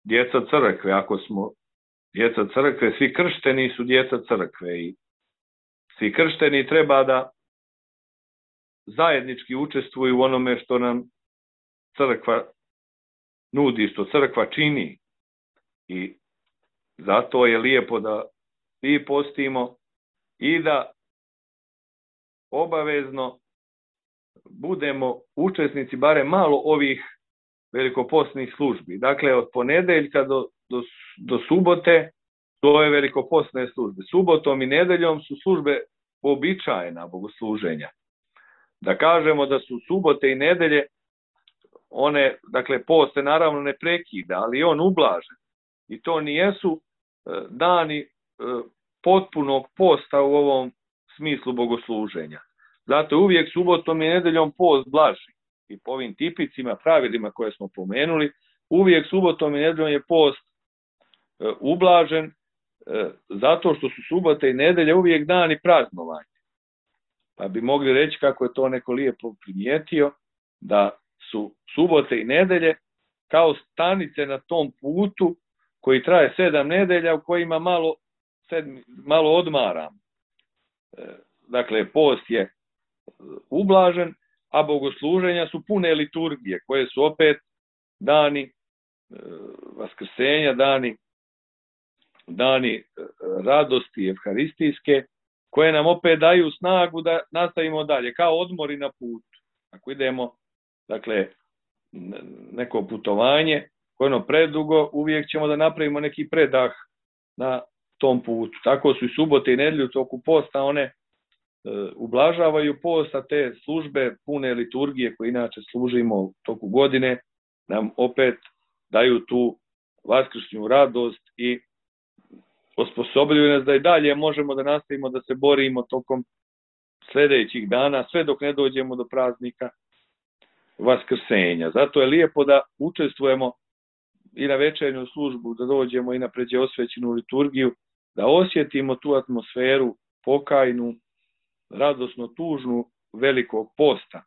djeca crkve. Ako smo djeca crkve, svi kršteni su djeca crkve i svi kršteni treba da zajednički učestvuju u onome što nam crkva nudi, što crkva čini. I zato je lijepo da svi postimo i da obavezno budemo učesnici barem malo ovih velikopostnih službi. Dakle, od ponedeljka do, do, do subote to je velikopostne službe. Subotom i nedeljom su službe uobičajena bogosluženja. Da kažemo da su subote i nedelje, one, dakle, post se naravno ne prekida, ali on ublažen. I to nijesu dani potpunog posta u ovom smislu bogosluženja. Zato je uvijek subotom i nedeljom post blaži. I po ovim tipicima, pravilima koje smo pomenuli, uvijek subotom i nedeljom je post e, ublažen, e, zato što su subote i nedelje uvijek dani praznovanja. Pa bi mogli reći, kako je to neko lijepo primijetio, da su subote i nedelje kao stanice na tom putu koji traje sedam nedelja, u kojima malo, sedmi, malo odmaram. E, dakle, post je ublažen, a bogosluženja su pune liturgije, koje su opet dani e, vaskrsenja, dani, dani e, radosti evharistijske, koje nam opet daju snagu da nastavimo dalje, kao odmori na putu. Ako idemo, dakle, neko putovanje, koje ono predugo, uvijek ćemo da napravimo neki predah na tom putu. Tako su i subote i nedelje u toku posta, one ublažavaju post, a te službe pune liturgije koje inače služimo u toku godine nam opet daju tu vaskršnju radost i osposobljuju nas da i dalje možemo da nastavimo da se borimo tokom sljedećih dana, sve dok ne dođemo do praznika vaskrsenja. Zato je lijepo da učestvujemo i na večernju službu, da dođemo i na pređeosvećenu liturgiju, da osjetimo tu atmosferu pokajnu, radosno tužnu velikog posta.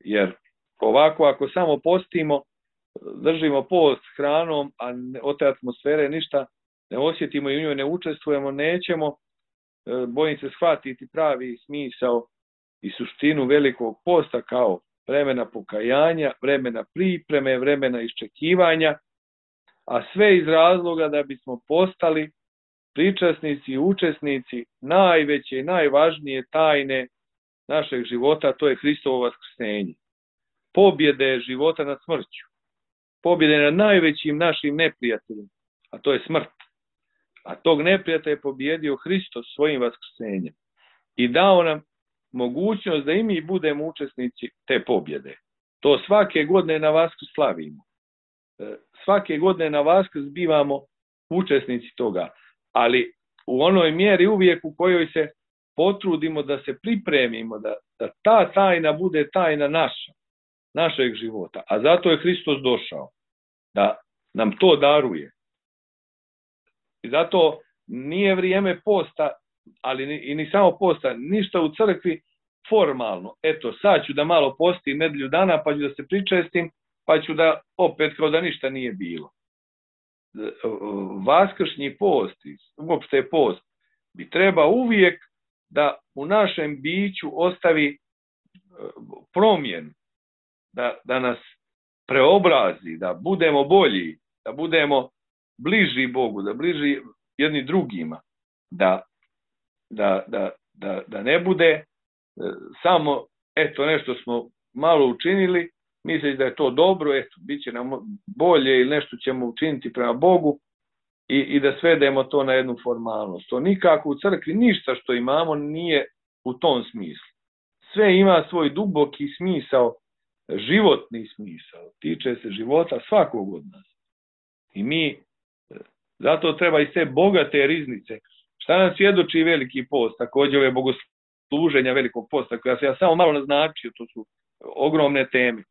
Jer ovako, ako samo postimo, držimo post hranom, a od te atmosfere ništa ne osjetimo i u njoj ne učestvujemo, nećemo, bojim se, shvatiti pravi smisao i suštinu velikog posta kao vremena pokajanja, vremena pripreme, vremena iščekivanja, a sve iz razloga da bismo postali pričasnici i učesnici najveće i najvažnije tajne našeg života, to je Hristovo vaskrsenje. Pobjede života nad smrću. Pobjede nad najvećim našim neprijateljem, a to je smrt. A tog neprijatelja je pobjedio Hristos svojim vaskrsenjem i dao nam mogućnost da i mi budemo učesnici te pobjede. To svake godine na Vaskrs slavimo. Svake godine na Vaskrs bivamo učesnici toga. Ali u onoj mjeri uvijek u kojoj se potrudimo da se pripremimo, da, da ta tajna bude tajna naša, našeg života. A zato je Hristos došao, da nam to daruje. I zato nije vrijeme posta, ali ni, i ni samo posta, ništa u crkvi formalno. Eto, sad ću da malo postim nedelju dana, pa ću da se pričestim, pa ću da opet kao da ništa nije bilo. Vaskršnji post, uopšte post, bi treba uvijek da u našem biću ostavi promjenu, da, da nas preobrazi, da budemo bolji, da budemo bliži Bogu, da bliži jedni drugima, da, da, da, da, da ne bude samo eto nešto smo malo učinili, misleći da je to dobro, eto, bit će nam bolje ili nešto ćemo učiniti prema Bogu i, i da svedemo to na jednu formalnost. To nikako u crkvi ništa što imamo nije u tom smislu. Sve ima svoj duboki smisao, životni smisao, tiče se života svakog od nas. I mi, zato treba iz te bogate riznice, šta nam svjedoči veliki post, također ove bogosluženja velikog posta, koja se ja samo malo naznačio, to su ogromne teme.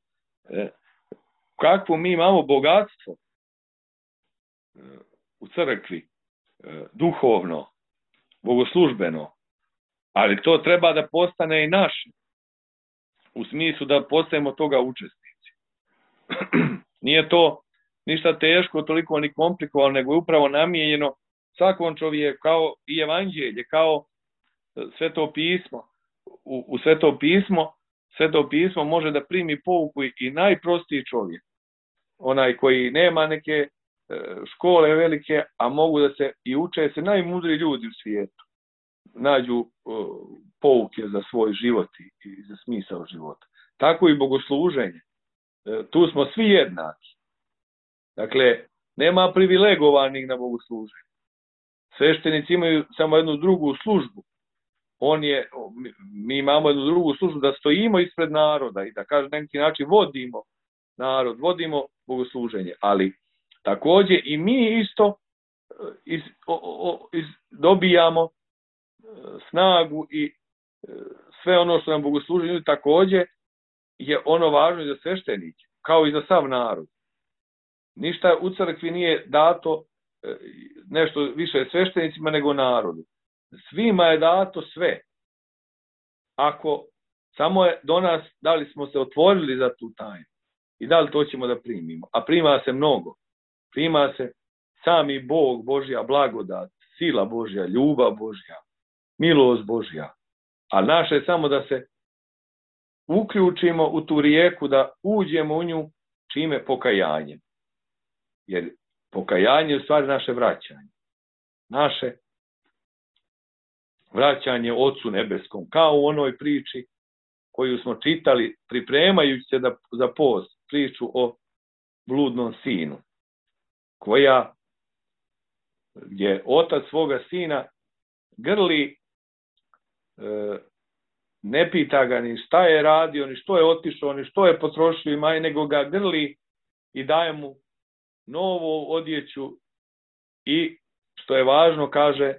Kakvo mi imamo bogatstvo u crkvi, duhovno, bogoslužbeno, ali to treba da postane i naše, u smislu da postajemo toga učesnici. Nije to ništa teško, toliko ni komplikovano, nego je upravo namijenjeno svakom čovjeku, kao i evanđelje, kao sveto pismo. U, u sveto pismo, sveto pismo može da primi pouku i najprostiji čovjek. Onaj koji nema neke škole velike, a mogu da se i uče se najmudriji ljudi u svijetu. Nađu pouke za svoj život i za smisao života. Tako i bogosluženje. Tu smo svi jednaki. Dakle, nema privilegovanih na bogosluženju. Sveštenici imaju samo jednu drugu službu. On je, mi imamo jednu drugu službu da stojimo ispred naroda i da, kažem, na neki način vodimo narod, vodimo bogosluženje. Ali također i mi isto iz, o, o, iz, dobijamo snagu i sve ono što nam bogosluženje također je ono važno i za sveštenike, kao i za sav narod. Ništa u crkvi nije dato nešto više sveštenicima nego narodu. Svima je dato sve. Ako samo je do nas, da li smo se otvorili za tu tajnu i da li to ćemo da primimo. A prima se mnogo. Prima se sami Bog, Božja blagodat, sila Božja, ljubav Božja, milost Božja. A naše je samo da se uključimo u tu rijeku, da uđemo u nju čime pokajanjem. Jer pokajanje je u stvari naše vraćanje. Naše vraćanje Ocu Nebeskom, kao u onoj priči koju smo čitali pripremajući se da, za post, priču o bludnom sinu, koja, gdje otac svoga sina grli, e, ne pita ga ni šta je radio, ni što je otišao, ni što je potrošio imanje, nego ga grli i daje mu novu odjeću i, što je važno, kaže,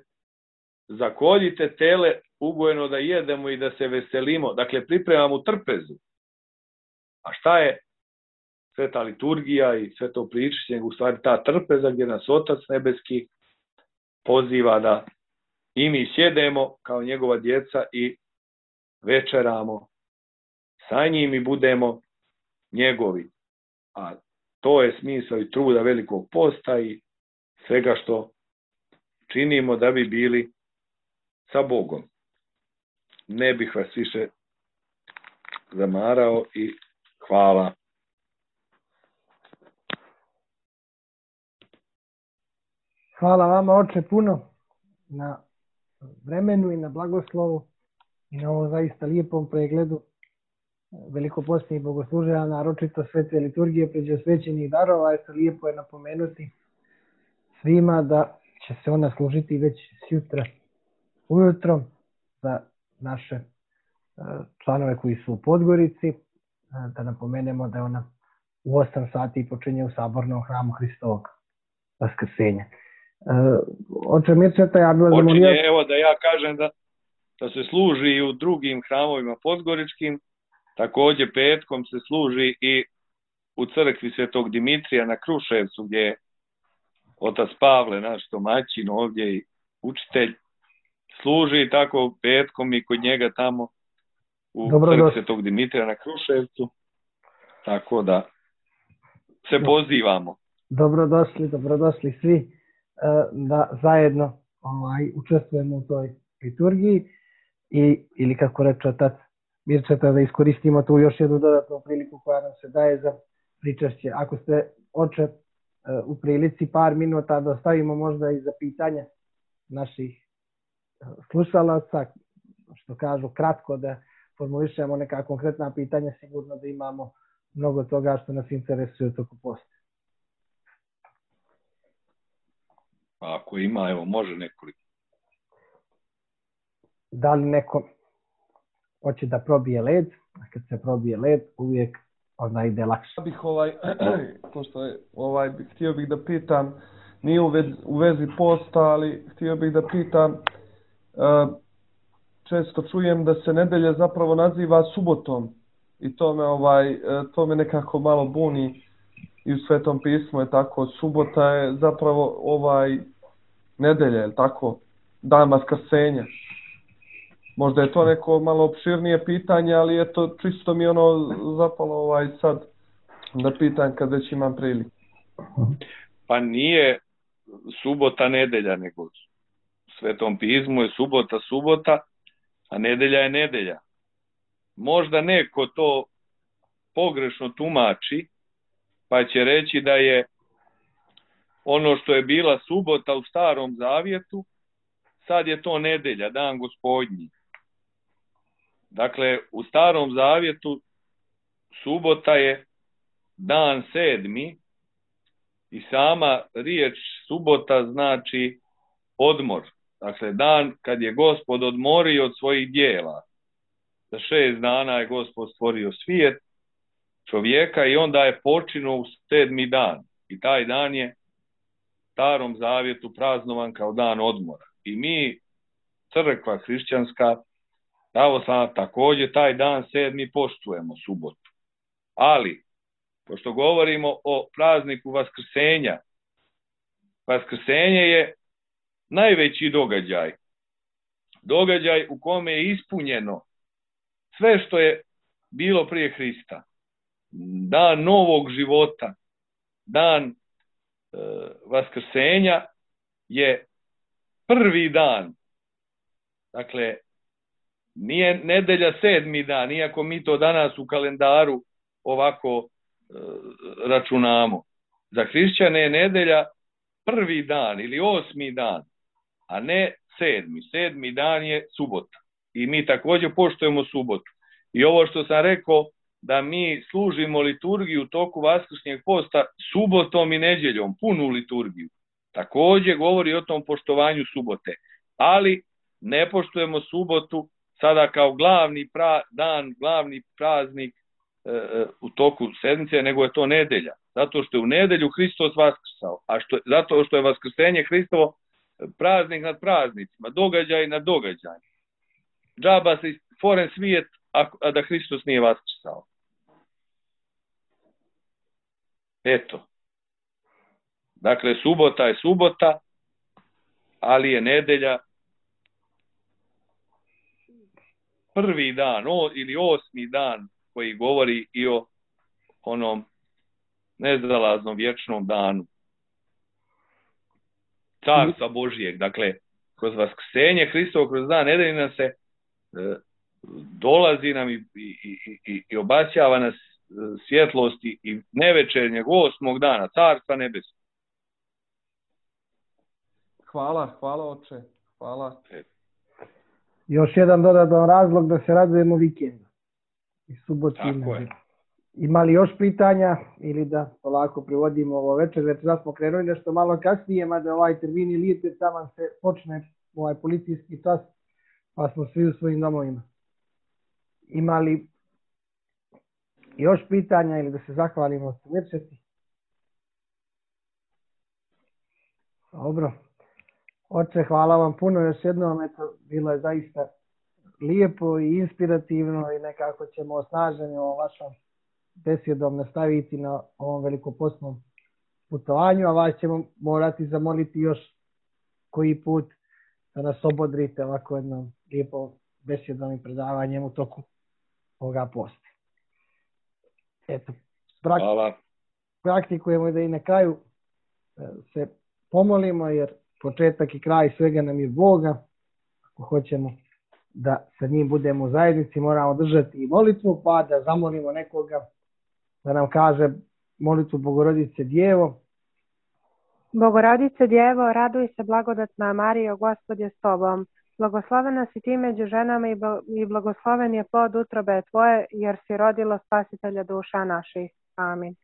zakoljite tele ugojeno da jedemo i da se veselimo. Dakle, pripremamo trpezu. A šta je sveta liturgija i sveto pričanje, u stvari ta trpeza gdje nas Otac Nebeski poziva da i mi sjedemo kao njegova djeca i večeramo sa njim i budemo njegovi. A to je smisao i truda velikog posta i svega što činimo da bi bili sa Bogom. Ne bih vas više zamarao i hvala. Hvala vama, oče, puno na vremenu i na blagoslovu i na ovom zaista lijepom pregledu velikopostnih bogosluženja, naročito svete liturgije pređosvećenih darova. Eto, lijepo je napomenuti svima da će se ona služiti već sjutra ujutro za naše članove koji su u Podgorici. Da napomenemo da je ona u osam sati počinje u Sabornom hramu Hristovog Vaskrsenja. Oče Mirčeta, ja bih vas zamolio... Evo da ja kažem da, da se služi i u drugim hramovima podgoričkim, također petkom se služi i u crkvi Svetog Dimitrija na Kruševcu, gdje je otac Pavle, naš domaćin ovdje i učitelj, služi tako petkom i kod njega tamo u Dobro crkvi došli. Svetog Dimitrija na Kruševcu, tako da se pozivamo. Dobrodošli, dobrodošli svi da zajedno ovaj, učestvujemo u toj liturgiji. i, ili kako reče otac Mirčeta, da iskoristimo tu još jednu dodatnu priliku koja nam se daje za pričašće. Ako ste, oče, u prilici par minuta da ostavimo možda i za pitanje naših slušalaca, što kažu kratko, da formulišemo neka konkretna pitanja, sigurno da imamo mnogo toga što nas interesuje toko posta. Ako ima, evo, može nekoliko. Da li neko hoće da probije led, a kad se probije led, uvijek onda ide lakše. Ja bih ovaj, pošto je, ovaj, htio bih da pitam, nije u vezi, u vezi posta, ali htio bih da pitam, uh, često čujem da se nedelja zapravo naziva subotom i to me, ovaj, to me nekako malo buni i u Svetom pismu je tako, subota je zapravo ovaj nedelja, je tako, dan Vaskrsenja. Možda je to neko malo opširnije pitanje, ali eto, čisto mi ono zapalo ovaj sad da pitam kad već imam priliku. Pa nije subota nedelja, nego u Svetom pismu je subota subota, a nedelja je nedelja. Možda neko to pogrešno tumači, pa će reći da je ono što je bila subota u Starom Zavjetu, sad je to nedelja, dan Gospodnji. Dakle, u Starom Zavjetu subota je dan sedmi i sama riječ subota znači odmor. Dakle, dan kad je Gospod odmorio od svojih dijela. Za šest dana je Gospod stvorio svijet, čovjeka i onda je počinio u sedmi dan. I taj dan je u Starom Zavjetu praznovan kao dan odmora. I mi, crkva hrišćanska, pravoslavna, također taj dan sedmi poštujemo, subotu. Ali, pošto govorimo o prazniku Vaskrsenja, Vaskrsenje je najveći događaj. Događaj u kome je ispunjeno sve što je bilo prije Hrista. Dan novog života, dan e, Vaskrsenja je prvi dan. Dakle, nije nedelja sedmi dan, iako mi to danas u kalendaru ovako e, računamo. Za hrišćane je nedelja prvi dan ili osmi dan, a ne sedmi. Sedmi dan je subota. I mi također poštujemo subotu. I ovo što sam rekao, da mi služimo liturgiju u toku vaskršnjeg posta subotom i nedjeljom, punu liturgiju. Također govori o tom poštovanju subote. Ali ne poštujemo subotu sada kao glavni pra, dan, glavni praznik e, e, u toku sedmice, nego je to nedelja. Zato što je u nedelju Hristos vaskrsao. A što, zato što je vaskrsenje Hristovo praznik nad praznicima, događaj nad događaj. Džaba se stvoren svijet, a, a da Hristos nije vaskrsao. Eto. Dakle, subota je subota, ali je nedelja prvi dan o, ili osmi dan koji govori i o onom nezalaznom vječnom danu Carstva Božijeg. Dakle, kroz vaskrsenje Hristovo, kroz dan nedelje nam se e, dolazi nam i, i, i, i obasjava nas svjetlosti i nevečernjeg osmog dana Carstva nebesnog. Hvala, hvala oče, hvala. Još jedan dodatan razlog da se radujemo vikendu. I suboti. Tako je. Ima li još pitanja ili da polako privodimo ovo večer? Već da smo krenuli nešto malo kasnije, mada ovaj termin i lijete taman se počne ovaj policijski čas, pa smo svi u svojim domovima. Ima li još pitanja ili da se zahvalimo s Mirčeti? Dobro. Oče, hvala vam puno još jednom, eto, bilo je zaista lijepo i inspirativno i nekako ćemo osnaženi o vašom besjedom nastaviti na ovom velikopostnom putovanju, a vas ćemo morati zamoliti još koji put da nas obodrite ovako jednom lijepom besjedom i predavanjem u toku ovoga posta. Eto, prak Hvala. praktikujemo da i na kraju se pomolimo, jer početak i kraj svega nam je Boga. Ako hoćemo da sa njim budemo u zajednici, moramo držati i molitvu, pa da zamolimo nekoga da nam kaže molitvu Bogorodice Djevo. Bogorodice Djevo, raduj se blagodatna Marijo, Gospod je s tobom. Blagoslovena si ti među ženama i blagosloven je plod utrobe tvoje, jer si rodilo spasitelja duša naših. Amin.